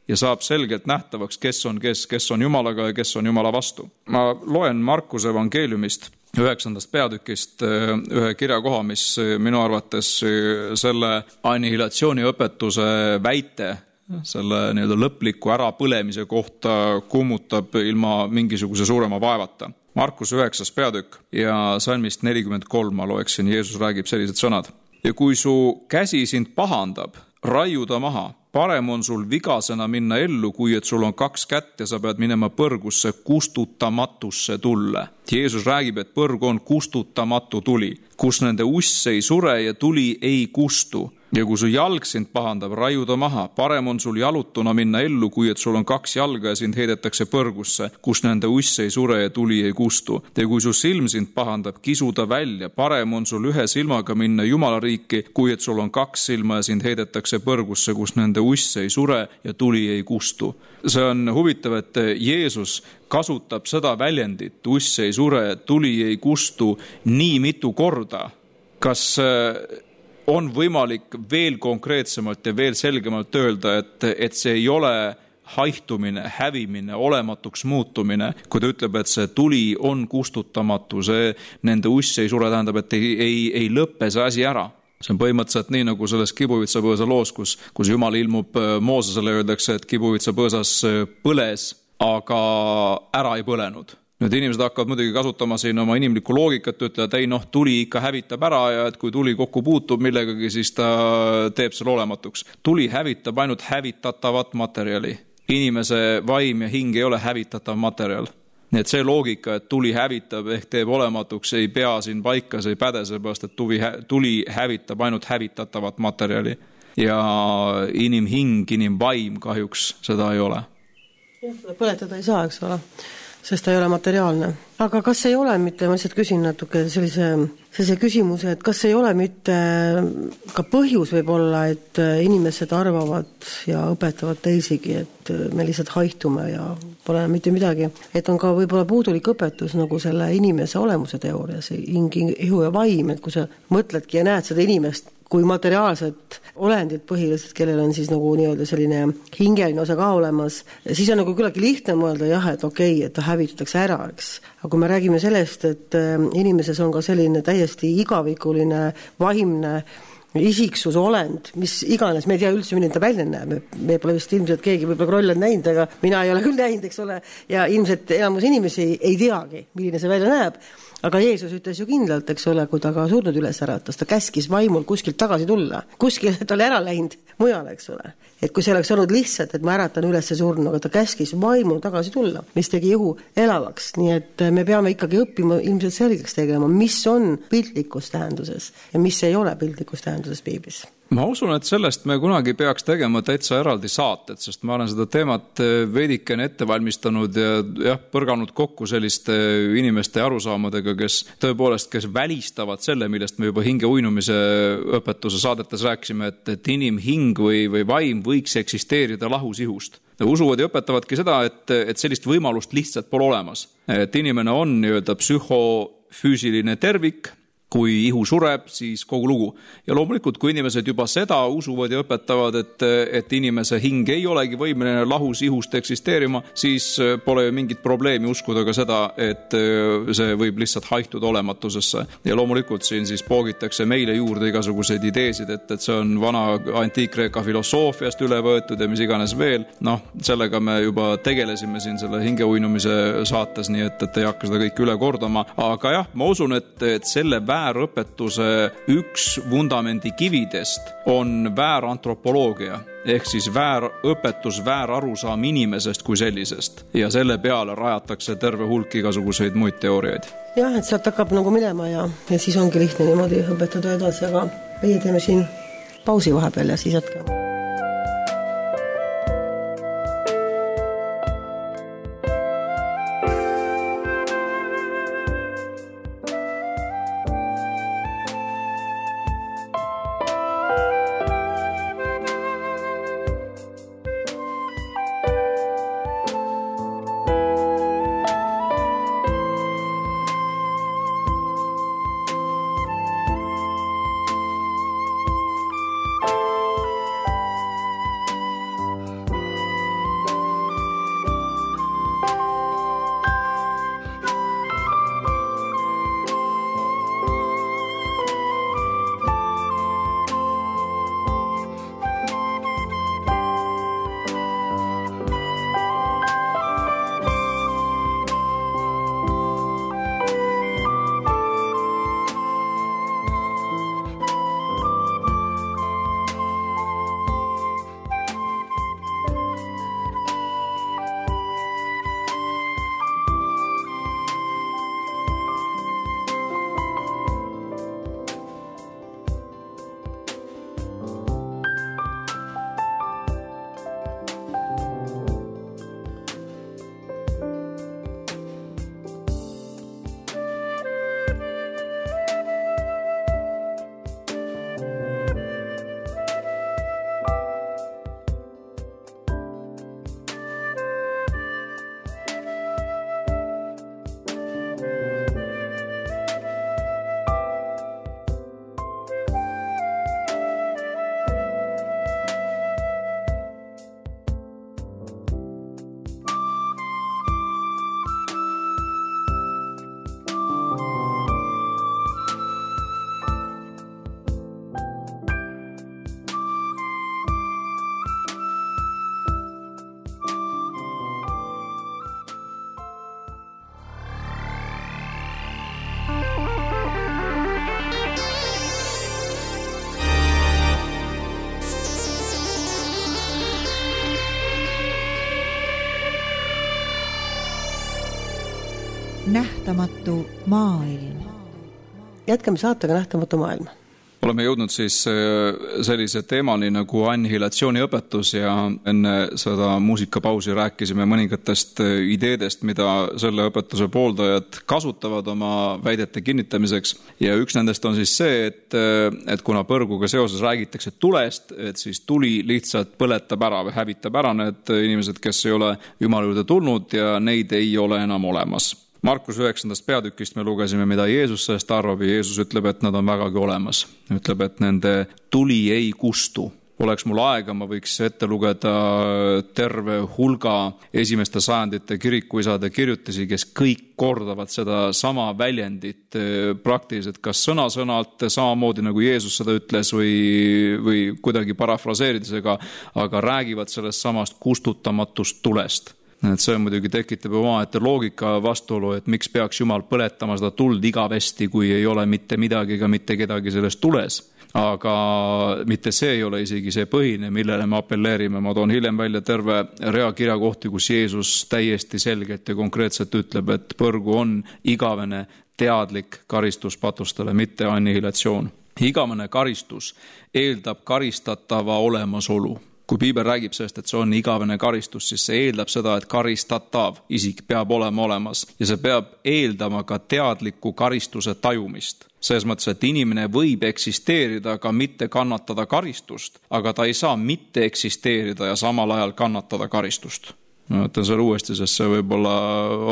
ja saab selgelt nähtavaks, kes on Jumalaga ja kes on Jumala vastu. Ma loen Markuse evangeeliumist 9. peatükist ühe kirjakoha, mis minu arvates selle annihilatsiooni õpetuse väite, selle nii-öelda lõpliku ärapõlemise kohta kummutab ilma mingisuguse suurema vaevata. Markus 9. peatükk ja salmist 43 ma loeksin, Jeesus räägib sellised sõnad. Ja kui su käsi sind pahandab, raiu ta maha. Parem on sul vigasena minna ellu, kui et sul on 2 kätt ja sa pead minema põrgusse kustutamatusse tulle. Jeesus räägib, et põrg on kustutamatu tuli, kus nende uss ei sure ja tuli ei kustu. Ja kui su jalg sind pahandab, raiu ta maha. Parem on sul jalutuna minna ellu, kui et sul on 2 jalga ja sind heidetakse põrgusse, kus nende uss ei sure ja tuli ei kustu. Ja kui su silm sind pahandab, kisu ta välja. Parem on sul 1 silmaga minna Jumala riiki, kui et sul on 2 silma ja sind heidetakse põrgusse, kus nende uss ei sure ja tuli ei kustu. See on huvitav, et Jeesus kasutab seda väljendit, uss ei sure, tuli ei kustu nii mitu korda. Kas on võimalik veel konkreetsemalt ja veel selgemalt öelda, et see ei ole haihtumine, hävimine, olematuks muutumine, kui ta ütleb, et see tuli on kustutamatu, see nende uss ei sure, tähendab, et ei lõppe see asi ära. See on põhimõtteliselt nii, nagu selles kibuvitsapõõsa loos, kus Jumal ilmub Moosesele, öeldakse, et kibuvitsapõõsas põles, aga ära ei põlenud. Nüüd inimesed hakkavad muidugi kasutama siin oma inimlikku loogikat, ütlevad, ei tuli ikka hävitab ära ja et kui tuli kokku puutub millegagi, siis ta teeb selle olematuks. Tuli hävitab ainult hävitatavat materjali. Inimese vaim ja hing ei ole hävitatav materjal. Nii et see loogika, et tuli hävitab ehk teeb olematuks, ei pea siin paika, see ei päde, seepärast, et tuli hävitab ainult hävitatavat materjali. Ja inimhing, inimvaim kahjuks seda ei ole. Seda põletada ei saa, eks ole, sest ta ei ole materiaalne. Aga kas ei ole mitte, ma lihtsalt küsin natuke sellise küsimuse, et kas ei ole mitte ka põhjus võib-olla, et inimesed arvavad ja õpetavad teisigi, et me lihtsalt haihtume ja pole mitte midagi. Et on ka võib-olla puudulik õpetus nagu selle inimese olemuse teooria, see hing, ihu ja vaim, et kui sa mõtledki ja näed seda inimest kui materiaalset olendit põhiliselt, kellel on siis nagu nii-öelda selline hingeline osa ka olemas, siis on nagu küllagi lihtne mõelda, jah, et okei, et ta hävitatakse ära, eks. Aga kui me räägime sellest, et inimeses on ka selline täiesti igavikuline, vaimne isiksuse olend, mis iganes, me ei tea üldse, milline ta välja näeb. Me pole vist ilmselt keegi võib-olla kroll on näinud, aga mina ei ole küll näinud, eks ole, ja ilmselt enamus inimesi ei teagi, milline see välja näeb. Aga Jeesus ütles ju kindlalt, eks ole, kui ta ka surnud üles äratas, ta käskis vaimul kuskilt tagasi tulla. Kuskil ta oli ära läinud mujale, eks ole. Et kui see oleks olnud lihtsalt, et ma äratan üles surnu, aga ta käskis vaimul tagasi tulla, mis tegi ihu elavaks. Nii et me peame ikkagi õppima ilmselt selgeks tegema, mis on piltlikus tähenduses ja mis ei ole piltlikus tähenduses piiblis. Ma usun, et sellest me kunagi peaks tegema täitsa eraldi saated, sest ma olen seda teemat veidikene ette valmistanud ja põrganud kokku selliste inimeste arusaamadega, kes välistavad selle, millest me juba hinge uinumise õpetuse saadetes rääkisime, et inimhing või vaim võiks eksisteerida lahus ihust. Usuvad ja õpetavadki seda, et sellist võimalust lihtsalt pole olemas. Et inimene on nii-öelda psühhofüüsiline tervik, kui ihu sureb, siis kogu lugu. Ja loomulikult, kui inimesed juba seda usuvad ja õpetavad, et inimese hing ei olegi võimeline lahus ihust eksisteerima, siis pole ju mingit probleemi uskuda ka seda, et see võib lihtsalt haihtuda olematusesse. Ja loomulikult siin siis poogitakse meile juurde igasuguseid ideesid, et see on vana antiik-Kreeka filosoofiast üle võetud ja mis iganes veel. Sellega me juba tegelesime siin selle hingeuinumise saates, nii et ei hakka seda kõik üle kordama. Aga jah, ma usun, et selle väärõpetuse üks vundamendi kividest on väärantropoloogia, ehk siis väärõpetus, väärarusaam inimesest kui sellisest. Ja selle peale rajatakse terve hulk igasuguseid muid teooriaid. Jah, et sealt hakkab nagu minema ja siis ongi lihtne niimoodi õpetada edasi, aga meie teeme siin pausi vahepeal ja siis jätkame. nähtamatu maailm. Jätkame saatega Nähtamatu maailm. Oleme jõudnud siis sellise teemani nagu annihilatsiooniõpetus ja enne seda muusikapausi rääkisime mõningatest ideedest, mida selle õpetuse pooldajad kasutavad oma väidete kinnitamiseks. Ja üks nendest on siis see, et kuna põrguga seoses räägitakse tulest, et siis tuli lihtsalt põletab ära või hävitab ära need inimesed, kes ei ole Jumala juurde tulnud ja neid ei ole enam olemas. Markus 9. peatükist me lugesime, mida Jeesus sellest arvab ja Jeesus ütleb, et nad on vägagi olemas. Ütleb, et nende tuli ei kustu. Oleks mul aega, ma võiks ette lugeda terve hulga esimeste sajandite kirikuisade kirjutisi, kes kõik kordavad seda sama väljendit praktiliselt, kas sõna-sõnalt samamoodi nagu Jeesus seda ütles või kuidagi parafraseerides, aga räägivad sellest samast kustutamatust tulest. Et see muidugi tekitab omaette loogika vastuolu, et miks peaks Jumal põletama seda tuld igavesti, kui ei ole mitte midagi ega mitte kedagi sellest tules. Aga mitte see ei ole isegi see põhine, millele me appelleerime. Ma toon hiljem välja terve rea kirjakohti, kus Jeesus täiesti selgelt ja konkreetselt ütleb, et põrgu on igavene teadlik karistus patustele, mitte annihilatsioon. Igavene karistus eeldab karistatava olemasolu. Kui Piibel räägib sellest, et see on igavene karistus, siis see eeldab seda, et karistatav isik peab olema olemas ja see peab eeldama ka teadliku karistuse tajumist. Selles mõttes, et inimene võib eksisteerida ka mitte kannatada karistust, aga ta ei saa mitte eksisteerida ja samal ajal kannatada karistust. Ma ütlen selle uuesti, sest see võib-olla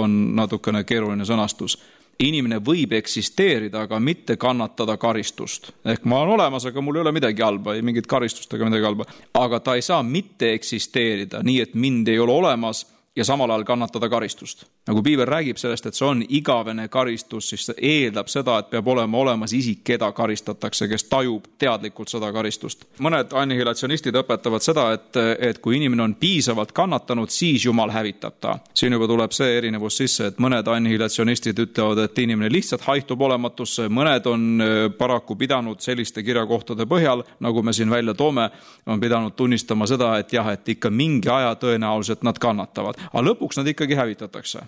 on natukene keeruline sõnastus. Inimene võib eksisteerida, aga mitte kannatada karistust. Ehk ma olen olemas, aga mul ei ole midagi halba, ei mingit karistust ega midagi halba. Aga ta ei saa mitte eksisteerida nii, et mind ei ole olemas ja samal ajal kannatada karistust. Nagu Piibel räägib sellest, et see on igavene karistus, siis see eeldab seda, et peab olema olemas isik, keda karistatakse, kes tajub teadlikult seda karistust. Mõned annihilatsionistid õpetavad seda, et kui inimene on piisavalt kannatanud, siis Jumal hävitab ta. Siin juba tuleb see erinevus sisse, et mõned annihilatsionistid ütlevad, et inimene lihtsalt haihtub olematusse, mõned on paraku pidanud selliste kirjakohtade põhjal, nagu me siin välja toome, on pidanud tunnistama seda, et jah, et ikka mingi aja tõenäoliselt nad kannatavad. Aga lõpuks nad ikkagi hävitatakse.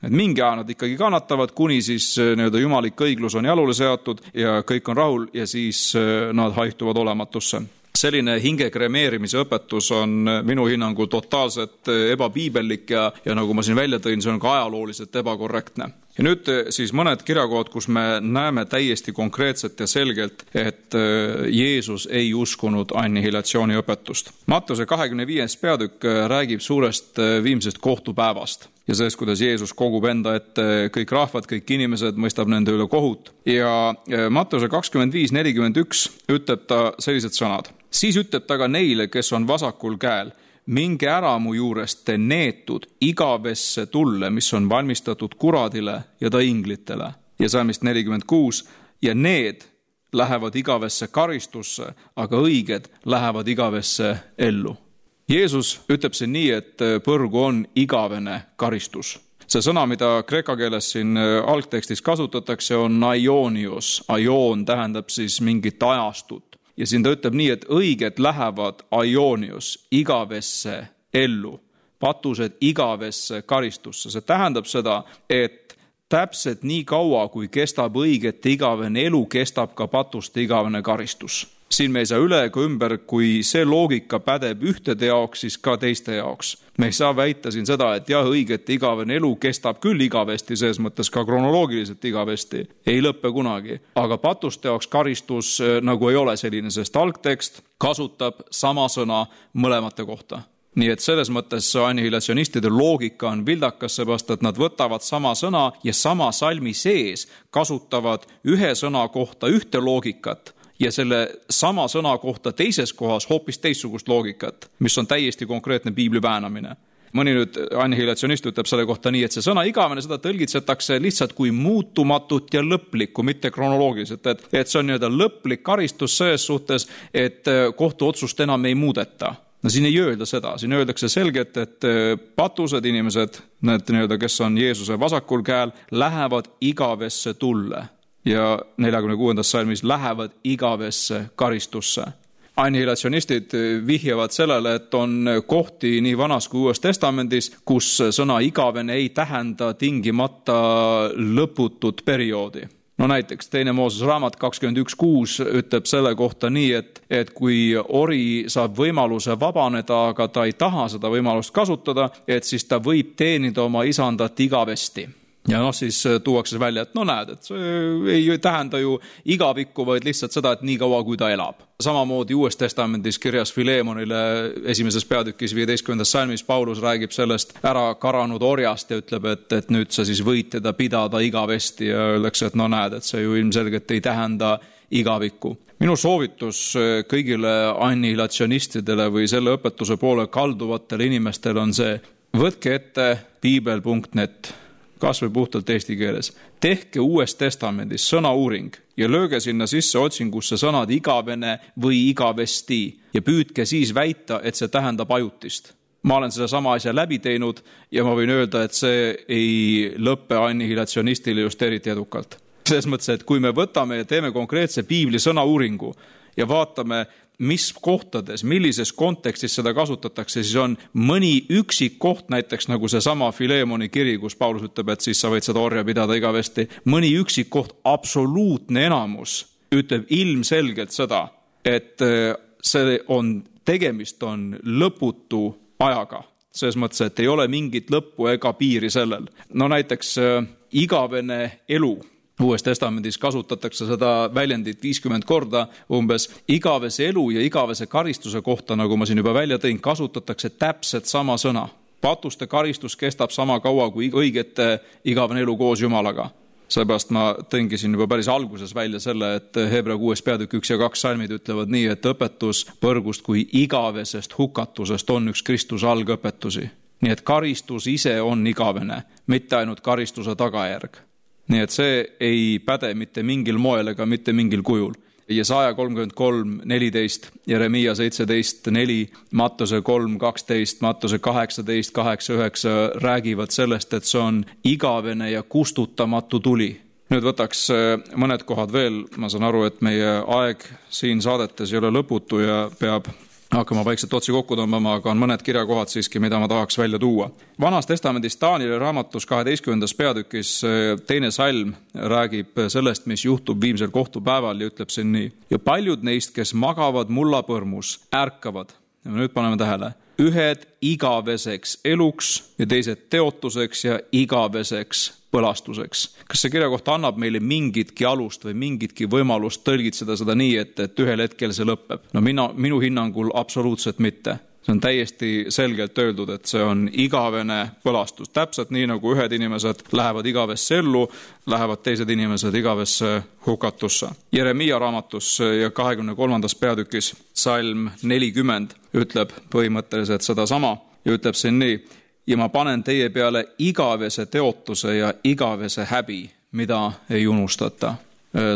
Et mingi aja nad ikkagi kannatavad, kuni siis jumalik õiglus on jalule seatud ja kõik on rahul ja siis nad haihtuvad olematusse. Selline hinge kremeerimise õpetus on minu hinnangul totaalselt ebapiibellik ja nagu ma siin välja tõin, see on ka ajalooliselt ebakorrektne. Ja nüüd siis mõned kirjakohad, kus me näeme täiesti konkreetselt ja selgelt, et Jeesus ei uskunud annihilatsiooni õpetust. Mattuse 25. peatükk räägib suurest viimsest kohtupäevast ja sellest, kuidas Jeesus kogub enda ette kõik rahvad, kõik inimesed, mõistab nende üle kohut. Ja Mattuse 25:41 ütleb ta sellised sõnad. Siis ütleb ta ka neile, kes on vasakul käel, minge ära mu juurest te neetud igavesse tulle, mis on valmistatud kuradile ja ta inglitele. Ja salmist 46, ja need lähevad igavesse karistusse, aga õiged lähevad igavesse ellu. Jeesus ütleb siin nii, et põrgu on igavene karistus. See sõna, mida kreeka keeles siin algtekstis kasutatakse, on aionios. Aion tähendab siis mingit ajastut. Ja siin ta ütleb nii, et õiged lähevad aionios igavesse ellu, patused igavesse karistusse. See tähendab seda, et täpselt nii kaua, kui kestab õigete igavene elu, kestab ka patuste igavene karistus. Siin me ei saa üle ega ümber, kui see loogika pädeb ühtede jaoks, siis ka teiste jaoks. Me ei saa väita siin seda, et jah, õigete igavene elu kestab küll igavesti, selles mõttes ka kronoloogiliselt igavesti, ei lõppe kunagi. Aga patuste jaoks karistus nagu ei ole selline, sest algtekst kasutab sama sõna mõlemate kohta. Nii et selles mõttes annihilatsionistide loogika on vildakas, seepärast, et nad võtavad sama sõna ja sama salmi sees kasutavad ühe sõna kohta ühte loogikat ja selle sama sõna kohta teises kohas hoopis teistsugust loogikat, mis on täiesti konkreetne piibli väänamine. Mõni nüüd annihilatsionist ütleb selle kohta nii, et see sõna igavene, seda tõlgitsetakse lihtsalt kui muutumatut ja lõplikku, mitte kronoloogiliselt, et see on nii-öelda lõplik karistus selles suhtes, et kohtuotsust enam ei muudeta. No siin ei öelda seda, siin öeldakse selgelt, et patused inimesed, need nii-öelda, kes on Jeesuse vasakul käel, lähevad igavesse tulle. Ja 46. salmis lähevad igavesse karistusse. Annihilatsionistid vihjavad sellele, et on kohti nii Vanas kui Uues Testamendis, kus sõna igavene ei tähenda tingimata lõputut perioodi. No näiteks teine Moosese raamat 21.6 ütleb selle kohta nii, et kui ori saab võimaluse vabaneda, aga ta ei taha seda võimalust kasutada, et siis ta võib teenida oma isandat igavesti. Ja siis tuuakse välja, et näed, et see ei tähenda ju igavikku, vaid lihtsalt seda, et nii kaua, kui ta elab. Samamoodi Uues Testamendis kirjas Filemonile 1. peatükis 15. salmis Paulus räägib sellest ära karanud orjast ja ütleb, et nüüd sa siis võid teda pidada igavesti ja öeldakse, et näed, et see ju ilmselgelt ei tähenda igavikku. Minu soovitus kõigile annihilatsionistidele või selle õpetuse poole kalduvatele inimestele on see, võtke ette piibel.net, kas või puhtalt eesti keeles. Tehke Uues Testamendis sõnauuring ja lööge sinna sisse otsingusse sõnad igavene või igavesti ja püüdke siis väita, et see tähendab ajutist. Ma olen seda sama asja läbi teinud ja ma võin öelda, et see ei lõppe annihilatsionistile just eriti edukalt. Selles mõttes, et kui me võtame ja teeme konkreetse piibli sõnauuringu ja vaatame, mis kohtades, millises kontekstis seda kasutatakse, siis on mõni üksik koht, näiteks nagu see sama Filemoni kiri, kus Paulus ütleb, et siis sa võid seda orja pidada igavesti. Mõni üksik koht, absoluutne enamus, ütleb ilmselgelt seda, et tegemist on lõputu ajaga. Selles mõttes, et ei ole mingit lõppu ega piiri sellel. Näiteks igavene elu. Uues Testamendis kasutatakse seda väljendit 50 korda umbes. Igavese elu ja igavese karistuse kohta, nagu ma siin juba välja tõin, kasutatakse täpselt sama sõna. Patuste karistus kestab sama kaua kui õigete igavene elu koos Jumalaga. Seepärast ma tõingi siin juba päris alguses välja selle, et Hebra 6 peatükk 1 ja 2 salmid ütlevad nii, et õpetus põrgust kui igavesest hukatusest on üks Kristuse algõpetusi. Nii et karistus ise on igavene, mitte ainult karistuse tagajärg. Nii et see ei päde mitte mingil moel ega mitte mingil kujul. Jesaja 33:14, Jeremia 17:4, Mattuse 3:12, Mattuse 18:8-9 räägivad sellest, et see on igavene ja kustutamatu tuli. Nüüd võtaks mõned kohad veel. Ma saan aru, et meie aeg siin saadetes ei ole lõputu ja peab hakkama vaikselt otsi kokku tõmbama, aga on mõned kirjakohad siiski, mida ma tahaks välja tuua. Vanas Testamendis Taanieli raamatus 12. peatükis 2. salm räägib sellest, mis juhtub viimsel kohtupäeval ja ütleb siin nii. Ja paljud neist, kes magavad mullapõrmus, ärkavad. Ja nüüd paneme tähele. Ühed igaveseks eluks ja teised teotuseks ja igaveseks põlastuseks. Kas see kirjakoht annab meile mingitki alust või mingitki võimalust tõlgitseda seda nii, et ühel hetkel see lõpeb? Minu hinnangul absoluutselt mitte. See on täiesti selgelt öeldud, et see on igavene põlastus. Täpselt nii, nagu ühed inimesed lähevad igavesse ellu, lähevad teised inimesed igavesse hukatusse. Jeremia raamatus ja 23. peatükis salm 40 ütleb põhimõtteliselt seda sama ja ütleb siin nii. Ja ma panen teie peale igavese teotuse ja igavese häbi, mida ei unustata.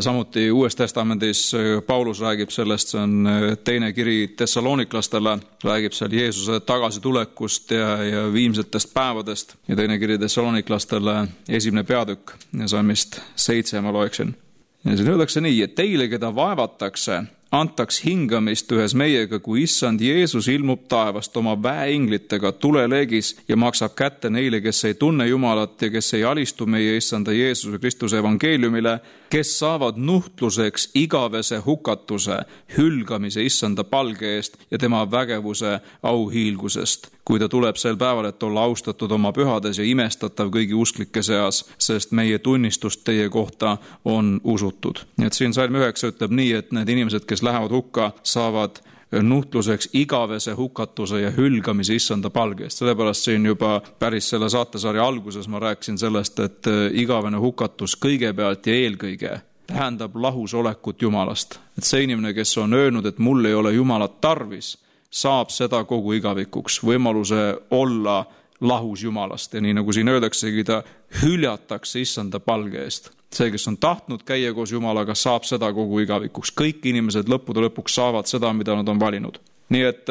Samuti Uues Testamendis Paulus räägib sellest, see on teine kiri Thessaloniklastele, räägib seal Jeesuse tagasitulekust ja viimsetest päevadest ja teine kiri Thessaloniklastele 1. peatükk ja salmist 7 ma loeksin. Ja siin öeldakse nii, et teile, keda vaevatakse, antaks hingamist ühes meiega, kui issand Jeesus ilmub taevast oma väeinglitega tuleleegis ja maksab kätte neile, kes ei tunne Jumalat ja kes ei alistu meie issanda Jeesuse Kristuse evangeeliumile, kes saavad nuhtluseks igavese hukatuse, hülgamise issanda palge eest ja tema vägevuse auhiilgusest, kui ta tuleb sel päeval, et olla austatud oma pühades ja imestatav kõigi usklike seas, sest meie tunnistust teie kohta on usutud. Et siin salm 9 ütleb nii, et need inimesed, kes lähevad hukka, saavad nuhtluseks igavese hukatuse ja hülgamise issanda palge eest. Sellepärast siin juba päris selle saatesarja alguses ma rääkisin sellest, et igavene hukatus kõigepealt ja eelkõige tähendab lahusolekut Jumalast. Et see inimene, kes on öelnud, et mul ei ole Jumalat tarvis, saab seda kogu igavikuks, võimaluse olla lahus Jumalast. Ja nii nagu siin öeldaksegi, ta hüljatakse issanda palge eest. See, kes on tahtnud käia koos Jumalaga, saab seda kogu igavikuks. Kõik inimesed lõppude lõpuks saavad seda, mida nad on valinud. Nii et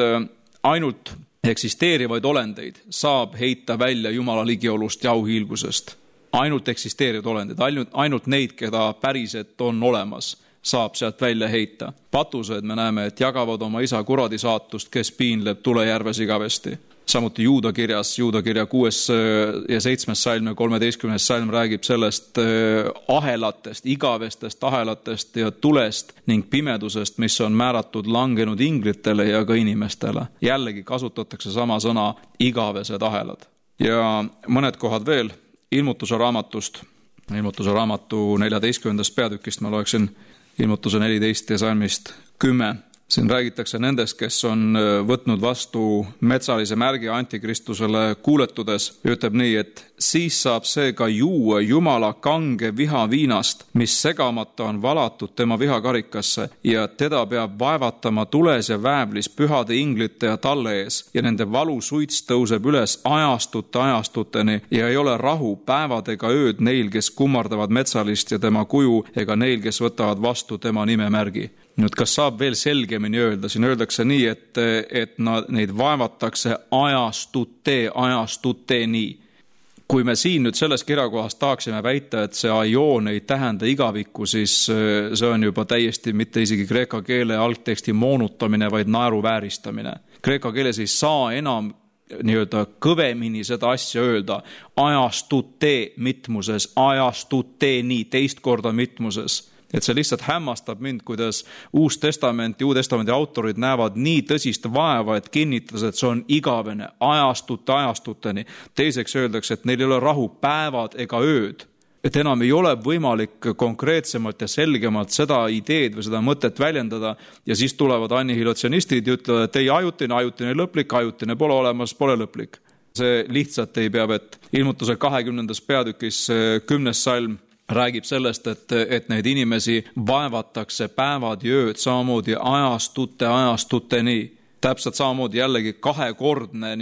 ainult eksisteerivaid olendeid saab heita välja Jumala ligiolust ja auhiilgusest. Ainult eksisteerivad olendid, ainult neid, keda päriselt on olemas, saab sealt välja heita. Patused me näeme, et jagavad oma isa kuradi saatust, kes piinleb tulejärves igavesti. Samuti Juuda kirja 6. ja 7. salm ja 13. salm räägib sellest ahelatest, igavestest ahelatest ja tulest ning pimedusest, mis on määratud langenud inglitele ja ka inimestele. Jällegi kasutatakse sama sõna igavesed ahelad. Ja mõned kohad veel Ilmutuse raamatust. Ilmutuse raamatu 14. peatükist ma loeksin Ilmutuse 14 ja salmist 10. Siin räägitakse nendest, kes on võtnud vastu metsalise märgi antikristusele kuuletudes. Ütleb nii, et siis saab see ka juua Jumala kange viha viinast, mis segamata on valatud tema vihakarikasse ja teda peab vaevatama tules ja väävlis pühade inglite ja talle ees ja nende valu suits tõuseb üles ajastuteni ja ei ole rahu päevad ega ööd neil, kes kummardavad metsalist ja tema kuju ega neil, kes võtavad vastu tema nimemärgi. Nüüd, kas saab veel selgemini öelda? Siin öeldakse nii, et neid vaevatakse ajastuteni. Kui me siin nüüd selles kirjakohas tahaksime väita, et see aioon ei tähenda igavikku, siis see on juba täiesti mitte isegi kreeka keele algteksti moonutamine, vaid naeruvääristamine. Kreeka keeles ei saa enam nii-öelda kõvemini seda asja öelda ajastute mitmuses, ajastuteni, teist korda mitmuses. Et see lihtsalt hämmastab mind, kuidas Uue Testamendi autorid näevad nii tõsist vaeva, et kinnitas, et see on igavene, ajastuteni. Teiseks öeldakse, et neil ei ole rahu päevad ega ööd. Et enam ei ole võimalik konkreetsemalt ja selgemalt seda ideed või seda mõtet väljendada ja siis tulevad annihilatsionistid ja ütlevad, et ei ajutine lõplik, ajutine pole olemas, pole lõplik. See lihtsalt ei pea vett. Ilmutuse 20. peatükis 10. salm räägib sellest, et neid inimesi vaevatakse päevad ja ööd, samamoodi ajastuteni. Täpselt samamoodi jällegi kahekordne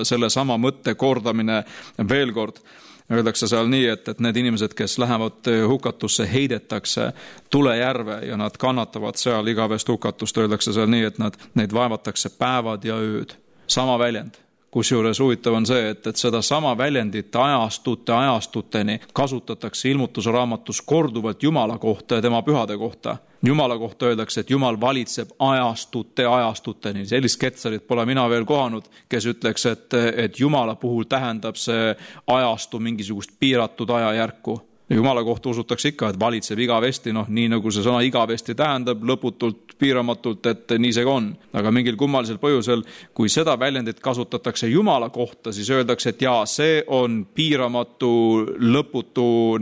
selle sama mõtte kordamine veel kord. Öeldakse seal nii, et need inimesed, kes lähevad hukatusse, heidetakse tulejärve ja nad kannatavad seal igavest hukatust. Öeldakse seal nii, et neid vaevatakse päevad ja ööd. Sama väljend. Kusjuures huvitav on see, et seda sama väljendit ajastuteni kasutatakse Ilmutuse raamatus korduvalt Jumala kohta ja tema pühade kohta. Jumala kohta öeldakse, et Jumal valitseb ajastuteni. Sellist ketsarit pole mina veel kohanud, kes ütleks, et Jumala puhul tähendab see ajastu mingisugust piiratud ajajärku. Jumala kohta usutakse ikka, et valitseb igavesti, nii nagu see sõna igavesti tähendab, lõputult, piiramatult, et nii see on. Aga mingil kummalisel põhjusel, kui seda väljendit kasutatakse Jumala kohta, siis öeldakse, et jaa, see on piiramatu, lõputu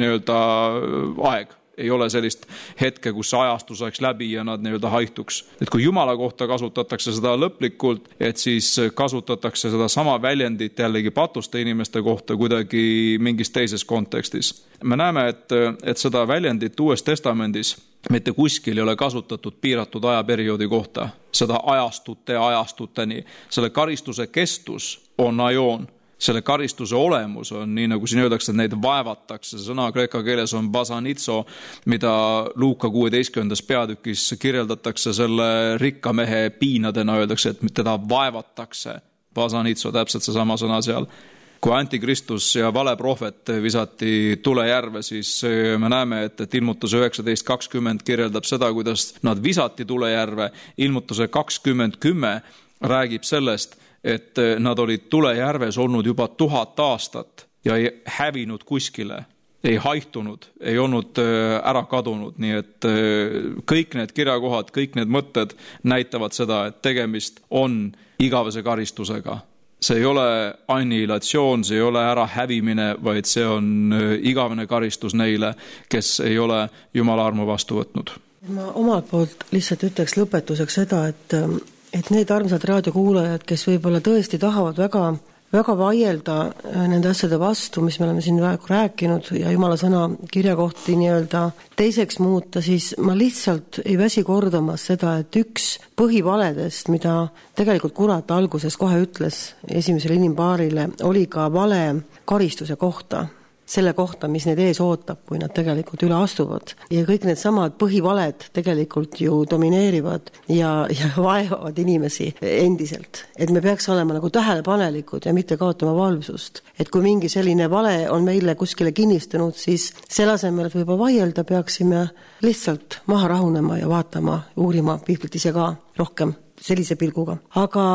aeg. Ei ole sellist hetke, kus ajastu saaks läbi ja nad haihtuks. Et kui Jumala kohta kasutatakse seda lõplikult, et siis kasutatakse seda sama väljendit jällegi patuste inimeste kohta kuidagi mingis teises kontekstis. Me näeme, et seda väljendit Uues Testamendis mitte kuskil ei ole kasutatud piiratud ajaperioodi kohta. Seda ajastuteni. Selle karistuse kestus on aioon. Selle karistuse olemus on nii, nagu siin öeldakse, et neid vaevatakse. See sõna kreeka keeles on basanitso, mida Luuka 16. peatükis kirjeldatakse selle rikka mehe piinadena, öeldakse, et teda vaevatakse. Basanitso, täpselt see sama sõna seal. Kui antikristus ja valeprohvet visati tulejärve, siis me näeme, et Ilmutuse 19.20 kirjeldab seda, kuidas nad visati tulejärve. Ilmutuse 20.10 räägib sellest, et nad olid tulejärves olnud juba 1000 aastat ja ei hävinud kuskile, ei haihtunud, ei olnud ära kadunud. Nii et kõik need kirjakohad, kõik need mõtted näitavad seda, et tegemist on igavese karistusega. See ei ole annihilatsioon, see ei ole ära hävimine, vaid see on igavene karistus neile, kes ei ole Jumala armu vastu võtnud. Ma omalt poolt lihtsalt ütleks lõpetuseks seda, et need armsad raadiokuulajad, kes võib-olla tõesti tahavad väga vaielda nende asjade vastu, mis me oleme siin rääkinud ja Jumala sõna kirjakohti teiseks muuta, siis ma lihtsalt ei väsi kordamas seda, et üks põhivaledest, mida tegelikult kurat alguses kohe ütles esimesele inimpaarile, oli ka vale karistuse kohta. selle kohta, mis neid ees ootab, kui nad tegelikult üle astuvad. Ja kõik need samad põhivaled tegelikult ju domineerivad ja vaevavad inimesi endiselt. Et me peaks olema nagu tähelepanelikud ja mitte kaotama valvsust. Et kui mingi selline vale on meile kuskile kinnistunud, siis selle asemel, et võib-olla vaielda, peaksime lihtsalt maha rahunema ja vaatama, uurima piiblit ise ka rohkem sellise pilguga. Aga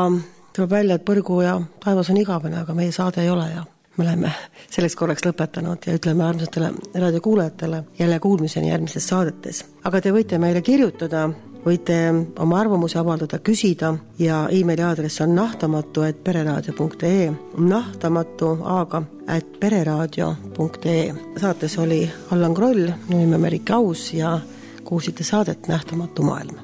tuleb välja, et põrgu ja taevas on igavene, aga meie saade ei ole ja me oleme selleks korraks lõpetanud ja ütleme armsatele raadiokuulajatele jälle kuulmiseni järgmistes saadetes. Aga te võite meile kirjutada, võite oma arvamusi avaldada, küsida ja e-maili aadress on nahtamatu@pereradio.ee nahtamatu@pereradio.ee Saates oli Allan Kroll, minu nimi Merike Aus ja kuulsite saadet Nähtamatu maailm.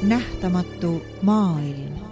Nähtamatu maailm.